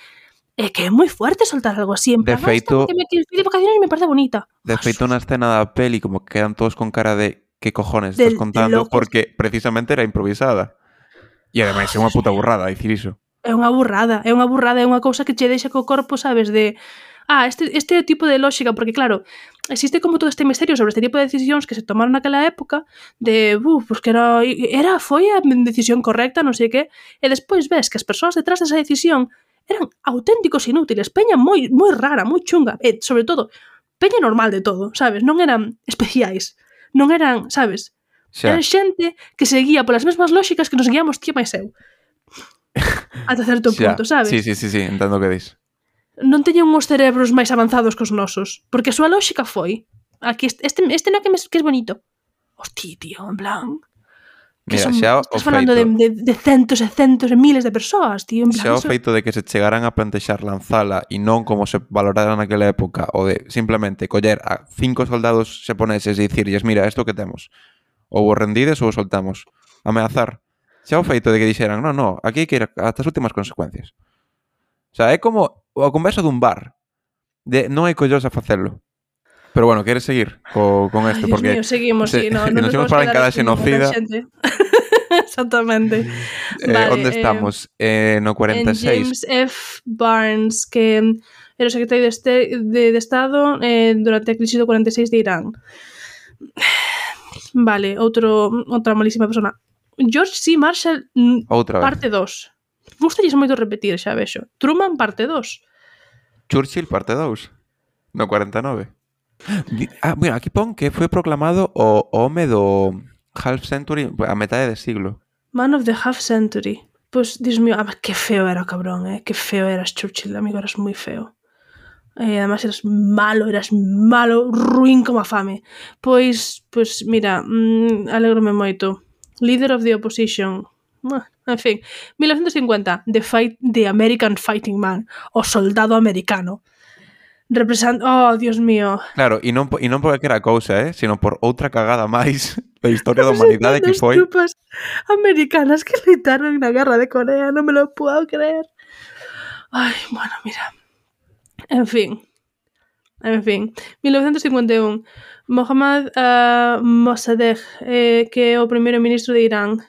[SPEAKER 2] É que é moi fuerte soltar algo así, en
[SPEAKER 3] De
[SPEAKER 2] plan, "Ah,
[SPEAKER 3] feito-
[SPEAKER 2] esta que me que fui de vacaciones e me parece bonita."
[SPEAKER 3] De feito, na escena da peli, como que quedan todos con cara de que cojones
[SPEAKER 2] De-
[SPEAKER 3] estás
[SPEAKER 2] de
[SPEAKER 3] contando,
[SPEAKER 2] locos.
[SPEAKER 3] porque precisamente era improvisada. E ademais é unha puta burrada dicir iso.
[SPEAKER 2] É unha burrada, é unha burrada, é unha cousa que che deixa co corpo, sabes, de ah, este, este tipo de lógica, porque claro, existe como todo este misterio sobre este tipo de decisións que se tomaron naquela época, de, buf, pues que era, era foi a decisión correcta, non sei que, e despois ves que as persoas detrás desa decisión eran auténticos inútiles, peña moi moi rara, moi chunga, e sobre todo, peña normal de todo, sabes, non eran especiais, non eran, sabes,
[SPEAKER 3] Xa,
[SPEAKER 2] eran xente que seguía polas mesmas lógicas que nos guiamos ti e máis eu. Ata certo
[SPEAKER 3] xa.
[SPEAKER 2] punto, sabes?
[SPEAKER 3] Sí, sí, sí, sí, entendo o que dis.
[SPEAKER 2] Non teñen uns cerebros máis avanzados que os nosos, porque a súa lógica foi aquí este, este, este no que, me, que es bonito. Hostia, tío, en plan que
[SPEAKER 3] Mira,
[SPEAKER 2] son,
[SPEAKER 3] xa o
[SPEAKER 2] estás falando de,
[SPEAKER 3] feito,
[SPEAKER 2] de, de centos e centos e miles de persoas, tío, en plan
[SPEAKER 3] xa o
[SPEAKER 2] eso-
[SPEAKER 3] feito de que se chegaran a plantexar lanzala e non como se valorara naquela época, o de simplemente coller a cinco soldados xaponeses e dicirlles, mira, isto que temos, ou o rendides ou o soltamos, ameazar. Xa o feito de que dixeran, non, non, aquí hai que ir ata as últimas consecuencias. O sea, é como a conversa dun bar, de non hai collos a facelo. Pero bueno, queres seguir co, con
[SPEAKER 2] Ay,
[SPEAKER 3] isto?
[SPEAKER 2] Dios
[SPEAKER 3] Porque
[SPEAKER 2] mío, seguimos,
[SPEAKER 3] se-
[SPEAKER 2] sí, no,
[SPEAKER 3] nos
[SPEAKER 2] non
[SPEAKER 3] imos
[SPEAKER 2] podemos
[SPEAKER 3] falar en
[SPEAKER 2] quedar
[SPEAKER 3] cada
[SPEAKER 2] aquí con
[SPEAKER 3] xenocida.
[SPEAKER 2] xente. Exactamente.
[SPEAKER 3] Eh,
[SPEAKER 2] Vale,
[SPEAKER 3] onde estamos? Eh, no cuarenta e
[SPEAKER 2] en
[SPEAKER 3] seis.
[SPEAKER 2] James F. Barnes, que era o secretario de, este, de, de Estado eh, durante a crise do cuarenta e seis de Irán. Vale, outro, outra malísima persona. George C. Marshall, mm,
[SPEAKER 3] Outra vez.
[SPEAKER 2] parte dos. Gustalles moito repetir, xa vexo. Truman, parte dos.
[SPEAKER 3] Churchill, parte dous. No cuarenta e nove. Di- Ah, mira, aquí pon que foi proclamado o home do half century a metade de siglo.
[SPEAKER 2] Man of the Half Century. Pois, Dios mío, ah, que feo era o cabrón, eh? Que feo eras, Churchill, amigo, eras moi feo. E además eras malo, eras malo, ruín como a fame. Pois, pois mira, mm, alegrome moito. Leader of the Opposition. Ah, en fin, mil novecientos cincuenta, The Fight, The American Fighting Man, o soldado americano. Represent... Oh, Dios mío.
[SPEAKER 3] Claro, e non, po- e non por calquera cousa, eh? Sino por outra cagada máis da historia da humanidade que
[SPEAKER 2] Representando as
[SPEAKER 3] foi...
[SPEAKER 2] tropas americanas que gritaron na guerra de Corea, no me lo puedo creer. Ay, bueno, mira. En fin. En fin. mil novecientos cincuenta e un. Mohammad uh, Mossadegh, eh, que é o primeiro ministro de Irán,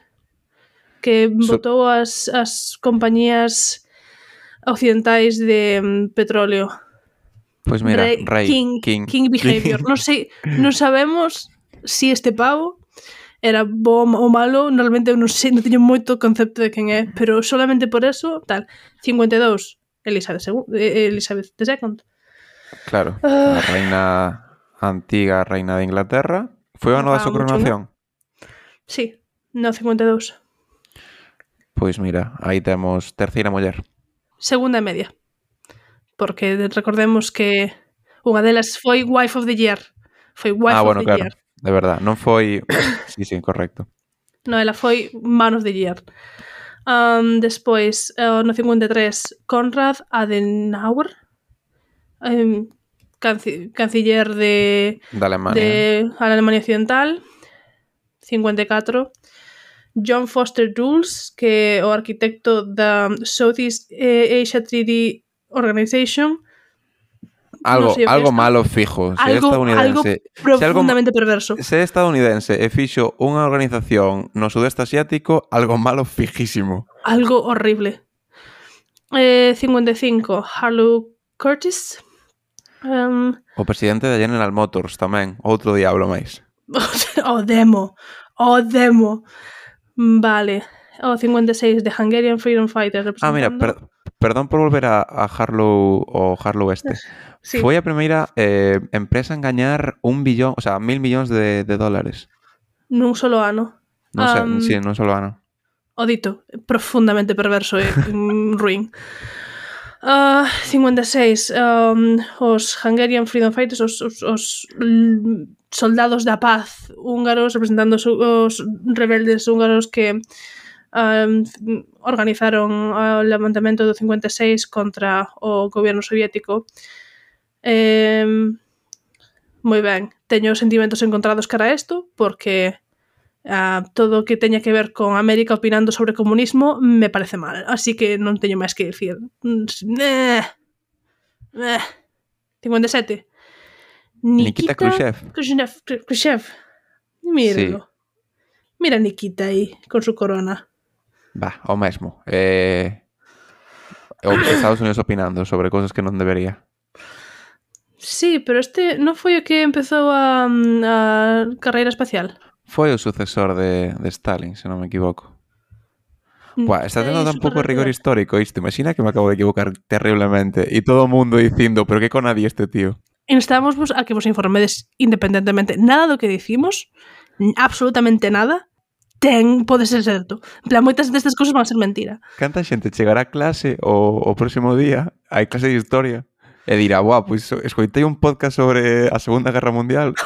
[SPEAKER 2] que
[SPEAKER 3] So-
[SPEAKER 2] botou as, as compañías occidentais de mm, petróleo.
[SPEAKER 3] Pois mira,
[SPEAKER 2] Rey,
[SPEAKER 3] rei,
[SPEAKER 2] King,
[SPEAKER 3] king,
[SPEAKER 2] King Behavior. Non sei, non sabemos si este pavo era bo ou malo, normalmente eu non sei, non teño moito concepto de quen é, pero solamente por eso, tal. cincuenta e dous, Elizabeth segunda, Elizabeth segunda.
[SPEAKER 3] Claro,
[SPEAKER 2] Ah.
[SPEAKER 3] a reina antiga reina de Inglaterra. Foi o ano da
[SPEAKER 2] Ah,
[SPEAKER 3] súa
[SPEAKER 2] moi
[SPEAKER 3] coronación?
[SPEAKER 2] Sí, no, cincuenta e dous.
[SPEAKER 3] Pois mira, aí temos terceira muller.
[SPEAKER 2] Segunda e media. Porque recordemos que unha delas foi Wife of the Year. Foi Wife
[SPEAKER 3] Ah,
[SPEAKER 2] of
[SPEAKER 3] bueno,
[SPEAKER 2] the
[SPEAKER 3] claro,
[SPEAKER 2] Year.
[SPEAKER 3] de verdad, non foi... Sí, sí, correcto.
[SPEAKER 2] No, ela foi Man of the Year. Um, despois, uh, no cincuenta e tres, Konrad Adenauer, um, canci canciller de,
[SPEAKER 3] Da Alemania.
[SPEAKER 2] de Alemania Occidental. cincuenta e catro, John Foster Dulles, que é o arquitecto da Southeast Asia Treaty Organization.
[SPEAKER 3] Algo,
[SPEAKER 2] Non sei o que
[SPEAKER 3] algo
[SPEAKER 2] isto.
[SPEAKER 3] malo fijo. Se é
[SPEAKER 2] Algo, algo
[SPEAKER 3] estadounidense... Se algo,
[SPEAKER 2] profundamente perverso.
[SPEAKER 3] se é estadounidense e fixo unha organización no sudeste asiático, algo malo fijísimo.
[SPEAKER 2] Algo horrible. Eh, cincuenta e cinco, Harlow Curtis. Um,
[SPEAKER 3] O presidente da General Motors tamén, outro diablo máis.
[SPEAKER 2] o demo. O demo. Vale. O cincuenta e seis, The Hungarian Freedom Fighter.
[SPEAKER 3] Ah, mira, per, perdón por volver a, a Harlow o Harlow este.
[SPEAKER 2] Sí.
[SPEAKER 3] Foi a primeira eh, empresa en gañar un billón, o sea, mil millóns de, de dólares.
[SPEAKER 2] Nun solo ano.
[SPEAKER 3] Non sei,
[SPEAKER 2] Um,
[SPEAKER 3] sí, non solo ano.
[SPEAKER 2] O dito, profundamente perverso e mm, ruín. Uh, cincuenta e seis, um, os Hungarian Freedom Fighters, os, os, os l- soldados da paz húngaros representando os, os rebeldes húngaros que um, organizaron o levantamento do cincuenta e seis contra o goberno soviético. Eh, moi ben, teño sentimentos encontrados cara a isto porque uh, todo o que teña que ver con América opinando sobre comunismo me parece mal, así que non teño máis que dicir. Eh, eh. cincuenta e sete,
[SPEAKER 3] Nikita Khrushchev.
[SPEAKER 2] Khrushchev, Khrushchev. Míralo. Sí. Mira a Nikita aí con su corona.
[SPEAKER 3] Va, o mesmo. Eh, o Estados Unidos opinando sobre cosas que non debería.
[SPEAKER 2] Sí, pero este non foi o que empezou a, a carreira espacial.
[SPEAKER 3] Foi o sucesor de, de Stalin, se non me equivoco. Buah, está tendo tan pouco rigor histórico isto. Imagina que me acabo de equivocar terriblemente e todo o mundo dicindo, pero que conadí este tío.
[SPEAKER 2] Instamos vos a que vos informedes independentemente. Nada do que dicimos, absolutamente nada, ten, pode ser certo. En plan, moitas destas cousas van a ser mentira.
[SPEAKER 3] Canta xente chegará a clase o, o próximo día, hai clase de historia, e dirá, buah, pois pues, escoitei un podcast sobre a Segunda Guerra Mundial.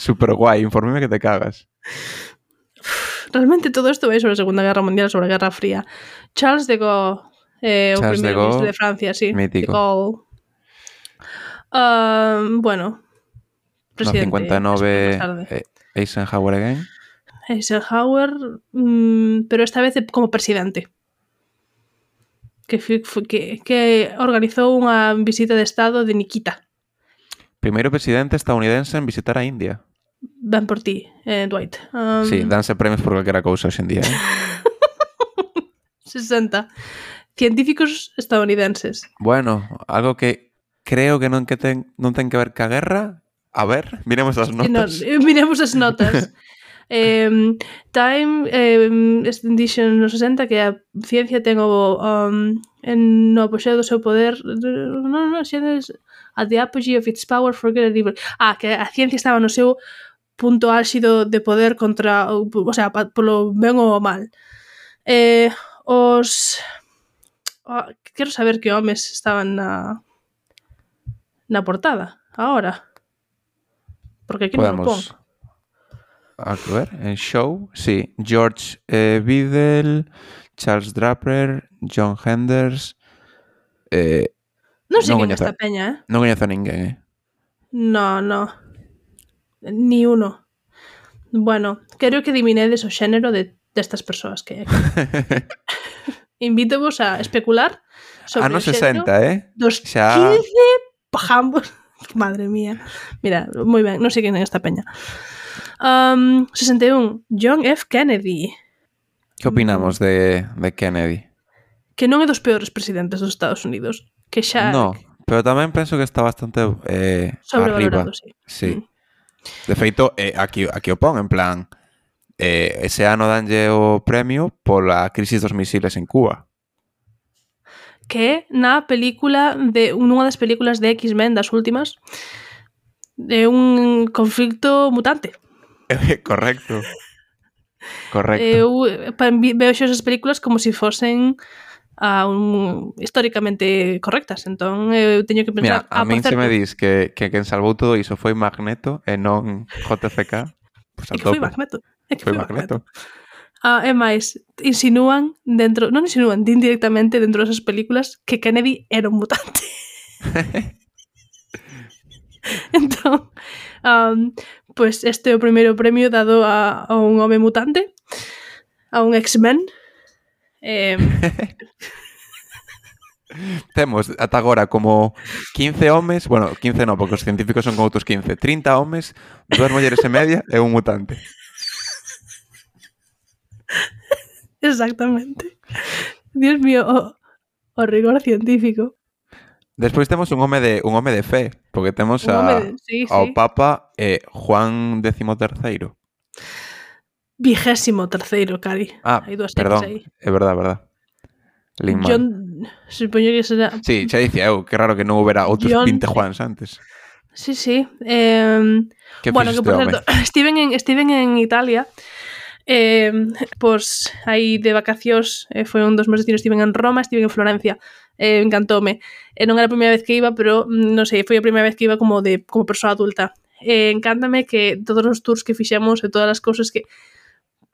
[SPEAKER 3] Super guai, informeme que te cagas.
[SPEAKER 2] Realmente todo isto vai sobre a Segunda Guerra Mundial, sobre a Guerra Fría. Charles de Gaulle, eh, o
[SPEAKER 3] Charles
[SPEAKER 2] primeiro
[SPEAKER 3] de Gaulle,
[SPEAKER 2] ministro de Francia, sí.
[SPEAKER 3] mítico.
[SPEAKER 2] De Gaulle. Uh, bueno, presidente.
[SPEAKER 3] No cincuenta e nove, eh, Eisenhower again.
[SPEAKER 2] Eisenhower, mm, pero esta vez como presidente. Que, que, que organizou unha visita de estado de Nikita.
[SPEAKER 3] Primeiro presidente estadounidense en visitar a India.
[SPEAKER 2] Ben por ti, eh, Dwight. Um,
[SPEAKER 3] Sí, danse premios por calquera cousa hoxe en día. Eh?
[SPEAKER 2] sesenta. Científicos estadounidenses.
[SPEAKER 3] Bueno, algo que creo que non que ten non ten que ver ca guerra. A ver, miremos as notas.
[SPEAKER 2] No, miremos as notas. eh, Time eh, Edition no sesenta, que a ciencia ten o um, en no apoxeo do seu poder, non, non, xenes at the apogee of its power for good and evil. Ah, que a ciencia estaba no seu punto álxido de poder contra, o sea, polo ben ou o mal. Eh, os oh, quero saber que homes estaban na na portada agora, porque aquí non o pon.
[SPEAKER 3] A ver, en show, sí, George eh, Biddle, Charles Draper, John Henders. Eh,
[SPEAKER 2] non sei
[SPEAKER 3] non
[SPEAKER 2] quen
[SPEAKER 3] coñezo,
[SPEAKER 2] esta peña, eh?
[SPEAKER 3] Non coñezo a ninguén, eh?
[SPEAKER 2] No, no. Ni uno. Bueno, quero que diminedes o xénero de destas persoas que hai aquí. Invítevos a especular sobre
[SPEAKER 3] Anos
[SPEAKER 2] o xénero
[SPEAKER 3] sesenta, eh?
[SPEAKER 2] dos
[SPEAKER 3] Xa...
[SPEAKER 2] quince pajambos. Madre mía. Mira, moi ben, non sei quen é esta peña. Um, sesenta e un. John F. Kennedy.
[SPEAKER 3] Que opinamos de, de Kennedy?
[SPEAKER 2] Que non é dos peores presidentes dos Estados Unidos. Que xa...
[SPEAKER 3] No, pero tamén penso que está bastante eh, arriba.
[SPEAKER 2] Sí.
[SPEAKER 3] Sí.
[SPEAKER 2] Mm.
[SPEAKER 3] De feito, eh, aquí, aquí o pon, en plan, eh, ese ano danlle o premio pola crisis dos misiles en Cuba.
[SPEAKER 2] Que na película de unha das películas de X-Men das últimas de un conflicto mutante.
[SPEAKER 3] Correcto. Correcto.
[SPEAKER 2] Eu veo esas películas como se si fosen uh, un, históricamente correctas, entón eu teño que pensar...
[SPEAKER 3] Mira, a
[SPEAKER 2] ah,
[SPEAKER 3] min se
[SPEAKER 2] certo,
[SPEAKER 3] me dis que, que quen salvou todo iso foi Magneto e non J F K, pues
[SPEAKER 2] é que foi Magneto. É que
[SPEAKER 3] foi
[SPEAKER 2] foi
[SPEAKER 3] Magneto.
[SPEAKER 2] Magneto. Ah, e máis, insinúan dentro, non insinúan, din directamente dentro desas películas que Kennedy era un mutante. Entón, um, pues este é o primeiro premio dado a, a un home mutante, a un X-Men. Eh,
[SPEAKER 3] Temos ata agora como quince homes, bueno, quince non, porque os científicos son como outros quince, trinta homes, dúas mulleres e media e un mutante.
[SPEAKER 2] Exactamente. Dios mío, o, o rigor científico.
[SPEAKER 3] Despois temos un home de un home de fe, porque temos a,
[SPEAKER 2] de, sí,
[SPEAKER 3] ao
[SPEAKER 2] sí.
[SPEAKER 3] Papa eh, Juan décimo terceiro.
[SPEAKER 2] Vigésimo terceiro, Cari.
[SPEAKER 3] Ah,
[SPEAKER 2] hai dúas
[SPEAKER 3] perdón,
[SPEAKER 2] aí.
[SPEAKER 3] É verdad, verdad. Lin mal.
[SPEAKER 2] John, supoño que será...
[SPEAKER 3] Sí, xa dicía eu, que raro que non houbera outros
[SPEAKER 2] John...
[SPEAKER 3] vinte Juans antes.
[SPEAKER 2] Sí, sí. Eh,
[SPEAKER 3] Que
[SPEAKER 2] bueno, que por certo, estiven en, estiven en Italia, eh, pois aí de vacacións, eh, foi un dos meus destinos, estiven en Roma, estiven en Florencia, eh, encantoume. Eh, non era a primeira vez que iba, pero non sei, foi a primeira vez que iba como de como persoa adulta. Eh, encántame que todos os tours que fixemos e todas as cousas que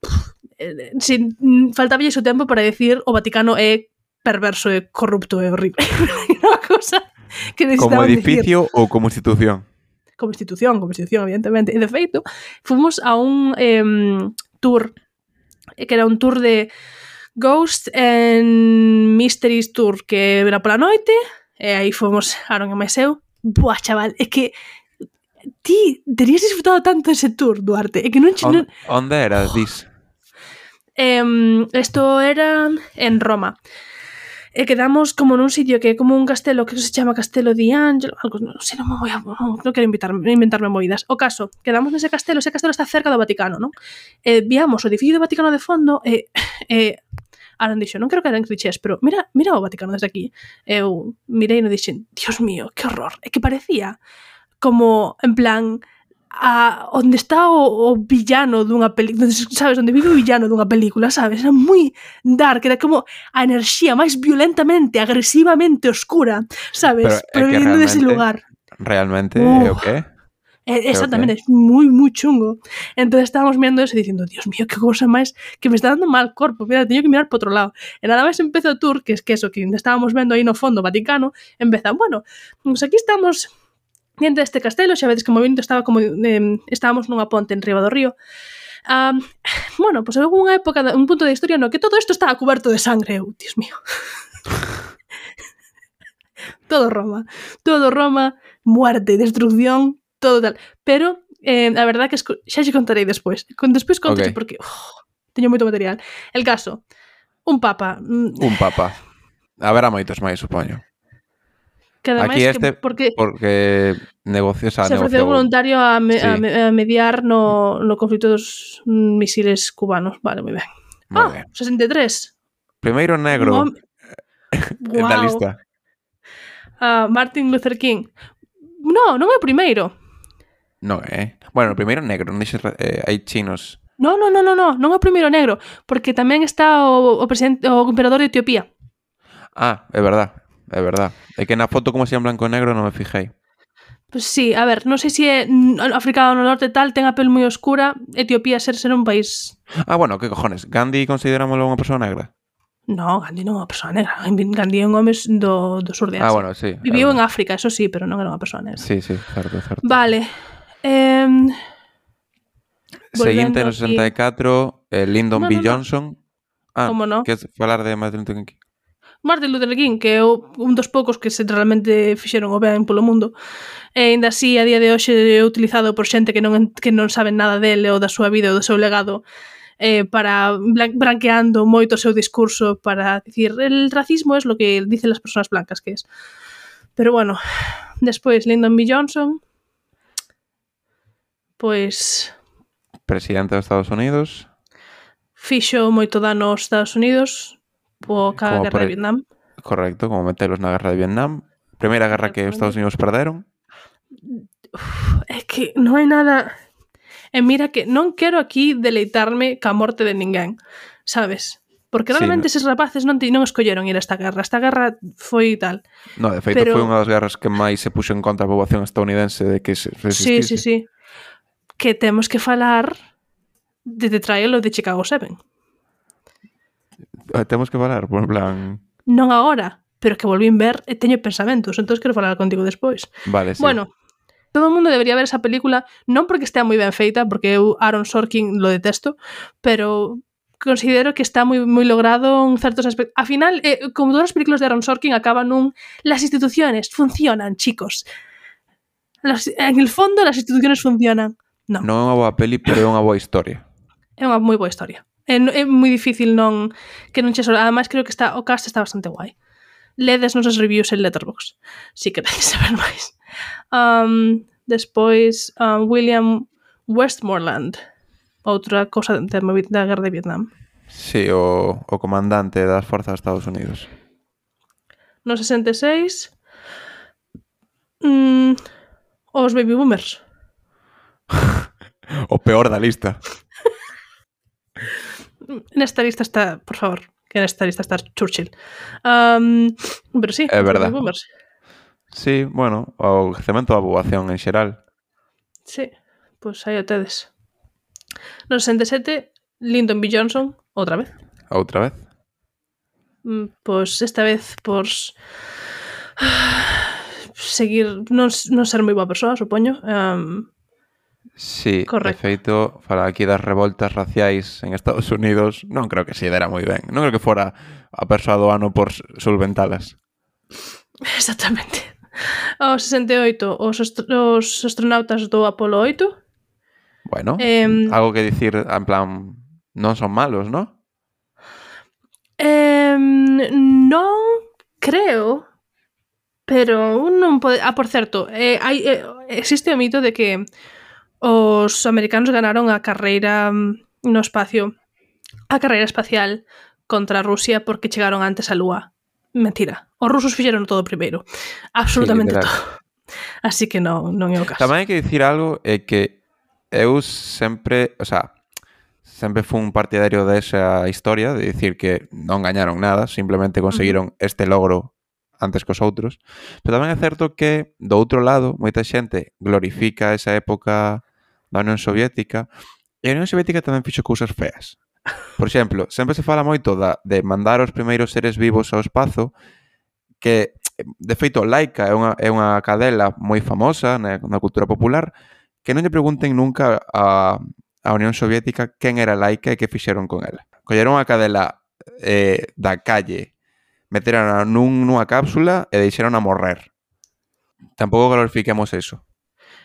[SPEAKER 2] pff, eh, sin, faltaba o tempo para decir o Vaticano é perverso e corrupto e horrible. Unha cousa que
[SPEAKER 3] como edificio
[SPEAKER 2] decir.
[SPEAKER 3] Ou como institución?
[SPEAKER 2] Como institución, como institución, evidentemente. E de feito, fomos a un eh, tour, que era un tour de Ghost and Mysteries Tour, que era pola noite, e aí fomos, Aaron e máis eu. Buah, chaval, é que ti terías disfrutado tanto ese tour, Duarte, é que non...
[SPEAKER 3] On, onde era, dis?
[SPEAKER 2] Eh, esto era en Roma. E quedamos como nun sitio que é como un castelo que se chama Castelo di Angelo, algo, non sei, non me voy a, non, non quero invitar, inventarme movidas. O caso, quedamos nese castelo, ese castelo está cerca do Vaticano, non? E viamos o edificio do Vaticano de fondo e, e Aaron dixo, non quero que eran clichés, pero mira, mira o Vaticano desde aquí. Eu mirei e non dixen, Dios mío, que horror. É que parecía como, en plan, a onde está o, o villano dunha película, sabes, onde vive o villano dunha película, sabes? Era moi dark, era como a enerxía máis violentamente, agresivamente oscura, sabes?
[SPEAKER 3] Pero,
[SPEAKER 2] Pero vindo dese lugar.
[SPEAKER 3] Realmente,
[SPEAKER 2] uh,
[SPEAKER 3] é o que?
[SPEAKER 2] É, exactamente, é moi, moi chungo. Entón estábamos mirando eso e dicindo, Dios mío, que cousa máis que me está dando mal corpo, mira, teño que mirar por outro lado. E nada máis empeza o tour, que es que eso, que estábamos vendo aí no fondo Vaticano, empezan, bueno, pues aquí estamos diante deste castelo, xa vedes que o movimento estaba como eh, estábamos nunha ponte en riba do río. Um, bueno, pois pues, houve unha época, un punto de historia no que todo isto estaba coberto de sangre. Eu, Dios mío. Todo Roma, todo Roma, muerte, destrucción, todo tal. Pero Eh, a verdad que esco... xa xe contarei despois. Con despois conto
[SPEAKER 3] Ok.
[SPEAKER 2] porque oh, teño moito material. El caso, un papa, mm,
[SPEAKER 3] Un papa. Haberá moitos máis, supoño.
[SPEAKER 2] que ademais
[SPEAKER 3] Aquí
[SPEAKER 2] que
[SPEAKER 3] este,
[SPEAKER 2] porque
[SPEAKER 3] porque negocio, o sea,
[SPEAKER 2] se ofreceu
[SPEAKER 3] negociou...
[SPEAKER 2] voluntario a, me,
[SPEAKER 3] Sí.
[SPEAKER 2] a, me, a mediar no, no conflito dos mm, misiles cubanos. Vale, moi ben.
[SPEAKER 3] Moi
[SPEAKER 2] Ah,
[SPEAKER 3] ben.
[SPEAKER 2] sesenta e tres.
[SPEAKER 3] Primeiro
[SPEAKER 2] Un
[SPEAKER 3] negro
[SPEAKER 2] home...
[SPEAKER 3] da
[SPEAKER 2] Guau.
[SPEAKER 3] lista.
[SPEAKER 2] Uh, Martin Luther King. No, non é o primeiro.
[SPEAKER 3] Non é. Bueno, o primeiro negro, non dixes, eh, hai chinos.
[SPEAKER 2] No, no, no, no, no, non é o primeiro negro, porque tamén está o, o presidente, o emperador de Etiopía.
[SPEAKER 3] Ah, é verdad, é verdad. É que na foto como se en blanco e negro non me fijei.
[SPEAKER 2] Pues sí, a ver, non sei se é África do Norte tal, ten a pel moi oscura, Etiopía ser ser un país...
[SPEAKER 3] Ah, bueno, que cojones, Gandhi considerámoslo unha persoa negra?
[SPEAKER 2] No, Gandhi non é unha persoa negra. Gandhi é un home do, do sur de Asia.
[SPEAKER 3] Ah, bueno, sí.
[SPEAKER 2] Viviu
[SPEAKER 3] é
[SPEAKER 2] en África, eso sí, pero non era unha persoa negra.
[SPEAKER 3] Sí, sí, certo, certo.
[SPEAKER 2] Vale. Eh,
[SPEAKER 3] Seguinte, no
[SPEAKER 2] aquí...
[SPEAKER 3] sesenta e catro, eh, Lyndon
[SPEAKER 2] No,
[SPEAKER 3] B.
[SPEAKER 2] no, no.
[SPEAKER 3] Johnson. Ah,
[SPEAKER 2] Como no?
[SPEAKER 3] queres falar de Martin Luther King?
[SPEAKER 2] Martin Luther King, que é un dos poucos que se realmente fixeron o ben polo mundo, e ainda así a día de hoxe é utilizado por xente que non, que non saben nada dele ou da súa vida ou do seu legado, eh, para branqueando moito o seu discurso para dicir el racismo es lo que dicen las personas blancas que es. Pero bueno, despois Lyndon B. Johnson, pois
[SPEAKER 3] Presidente dos Estados Unidos.
[SPEAKER 2] fixo moito dano aos Estados Unidos po ca
[SPEAKER 3] Como
[SPEAKER 2] guerra
[SPEAKER 3] pre-
[SPEAKER 2] de Vietnam.
[SPEAKER 3] Correcto, como metelos na guerra de Vietnam. Primeira guerra que os Estados Unidos perderon.
[SPEAKER 2] É que non hai nada... E mira que non quero aquí deleitarme ca morte de ninguén, sabes? Porque
[SPEAKER 3] Sí,
[SPEAKER 2] realmente
[SPEAKER 3] no-
[SPEAKER 2] eses rapaces non, ti- non escolleron ir a esta guerra. Esta guerra foi tal.
[SPEAKER 3] No, de feito,
[SPEAKER 2] Pero-
[SPEAKER 3] foi unha das guerras que máis se puxo en contra a poboación estadounidense de que se
[SPEAKER 2] Sí,
[SPEAKER 3] resistise.
[SPEAKER 2] sí, sí. Que temos que falar de The Trial of the Chicago Seven.
[SPEAKER 3] Ah, Temos que falar, por en plan...
[SPEAKER 2] Non agora, pero que volvín ver e teño pensamentos, entón quero falar contigo despois.
[SPEAKER 3] Vale, sí.
[SPEAKER 2] Bueno, todo o mundo debería ver esa película, non porque estea moi ben feita, porque eu Aaron Sorkin lo detesto, pero considero que está moi moi logrado en certos aspectos. A final, eh, como todas as películas de Aaron Sorkin acaban nun las instituciones funcionan, chicos. Las, en el fondo las instituciones funcionan. Non,
[SPEAKER 3] Non é unha boa peli, pero é unha boa historia.
[SPEAKER 2] é unha moi boa historia. É, é moi difícil non que non che solo. Ademais creo que está o cast está bastante guai. Ledes nos reviews en Letterboxd, si queréis saber máis. Um, despois, um, William Westmoreland, outra cosa da, da guerra de Vietnam.
[SPEAKER 3] Sí, o, o comandante das forzas de Estados Unidos.
[SPEAKER 2] No sesenta e seis, mm, os baby boomers.
[SPEAKER 3] O peor da lista.
[SPEAKER 2] Nesta lista está, por favor, que nesta lista está Churchill. Um, pero sí,
[SPEAKER 3] É
[SPEAKER 2] os
[SPEAKER 3] verdad.
[SPEAKER 2] baby boomers.
[SPEAKER 3] Sí, bueno, o crecemento da poboación en xeral.
[SPEAKER 2] Sí, pois pues aí o tedes. No sesenta e sete, Lyndon B. Johnson, outra vez.
[SPEAKER 3] Outra vez.
[SPEAKER 2] Mm, Pois esta vez por seguir non, non ser moi boa persoa, supoño. Um,
[SPEAKER 3] Sí,
[SPEAKER 2] Correcto.
[SPEAKER 3] de feito, falar aquí das revoltas raciais en Estados Unidos, non creo que se dera moi ben. Non creo que fora a persoa do ano por solventalas.
[SPEAKER 2] exactamente. O sesenta e oito, os, astro os astronautas do Apolo oito.
[SPEAKER 3] Bueno,
[SPEAKER 2] Em,
[SPEAKER 3] algo que dicir, en plan, non son malos, ¿no?
[SPEAKER 2] Eh, non creo, pero un non pode... Ah, por certo, eh, hai, eh, existe o mito de que os americanos ganaron a carreira mm, no espacio, a carreira espacial contra Rusia porque chegaron antes á Lúa. Mentira. Os rusos fixeron todo primeiro. Absolutamente
[SPEAKER 3] literal.
[SPEAKER 2] todo. Así que non, non é o caso.
[SPEAKER 3] Tamén hai que dicir algo, é que eu sempre, o sea, sempre fui un partidario desa historia, de dicir que non gañaron nada, simplemente conseguiron uh-huh. este logro antes cos outros. Pero tamén é certo que, do outro lado, moita xente glorifica esa época da Unión Soviética, e a Unión Soviética tamén fixo cousas feas. Por exemplo, sempre se fala moito da, de mandar os primeiros seres vivos ao espazo, que, de feito, Laika é unha, é unha cadela moi famosa na, na cultura popular, que non lle pregunten nunca a, a Unión Soviética quen era Laika e que fixeron con ela. Colleron a cadela eh, da calle, meteron nun, nunha cápsula e deixeron a morrer. Tampouco glorifiquemos eso.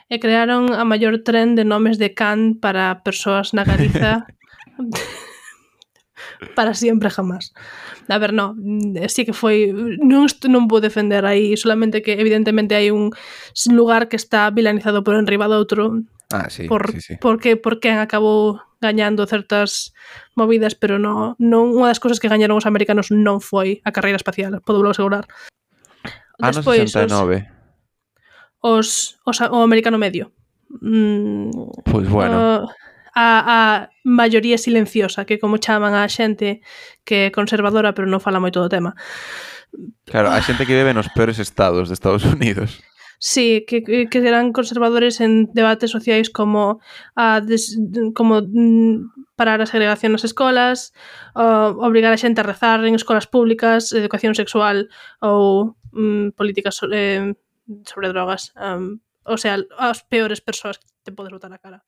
[SPEAKER 2] e crearon a maior tren de nomes de can para persoas na Galiza para sempre jamás. A ver, no, sí que foi, non, non vou defender aí, solamente que evidentemente hai un lugar que está vilanizado por enriba do outro.
[SPEAKER 3] Ah, sí,
[SPEAKER 2] por,
[SPEAKER 3] sí, sí.
[SPEAKER 2] Porque, porque acabou gañando certas movidas, pero no, non unha das cousas que gañaron os americanos non foi a carreira espacial, podo asegurar.
[SPEAKER 3] Ano
[SPEAKER 2] Despois,
[SPEAKER 3] sesenta e nove.
[SPEAKER 2] Os, os, os, o americano medio. Mm,
[SPEAKER 3] Pois bueno.
[SPEAKER 2] Uh, a, a maioría silenciosa, que como chaman a xente que é conservadora, pero non fala moito do tema.
[SPEAKER 3] Claro, a xente que vive nos peores estados de Estados Unidos.
[SPEAKER 2] Sí, que, que eran conservadores en debates sociais como a des, como mm, parar a segregación nas escolas, uh, obrigar a xente a rezar en escolas públicas, educación sexual ou mm, políticas sobre, sobre drogas. Um, o sea, as peores persoas que te podes botar a cara.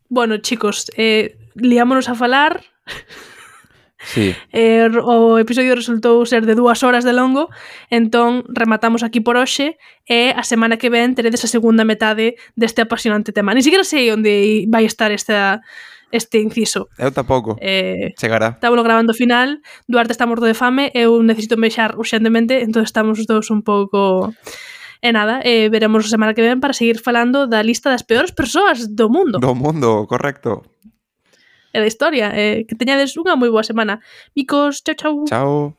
[SPEAKER 2] Bueno, chicos, eh, liámonos a falar.
[SPEAKER 3] Sí.
[SPEAKER 2] Eh, o episodio resultou ser de dúas horas de longo, entón rematamos aquí por hoxe e a semana que ven teredes a segunda metade deste apasionante tema. Ni siquiera sei onde vai estar esta, este inciso.
[SPEAKER 3] Eu tampouco.
[SPEAKER 2] Eh,
[SPEAKER 3] Chegará.
[SPEAKER 2] Estámoslo grabando ao final, Duarte está morto de fame, eu necesito mexar urxentemente, entón estamos os dous un pouco... E nada, eh, veremos a semana que ven para seguir falando da lista das peores persoas do mundo.
[SPEAKER 3] Do mundo, correcto.
[SPEAKER 2] E da historia. Eh, que teñades unha moi boa semana. Micos, chao, chao.
[SPEAKER 3] Chao.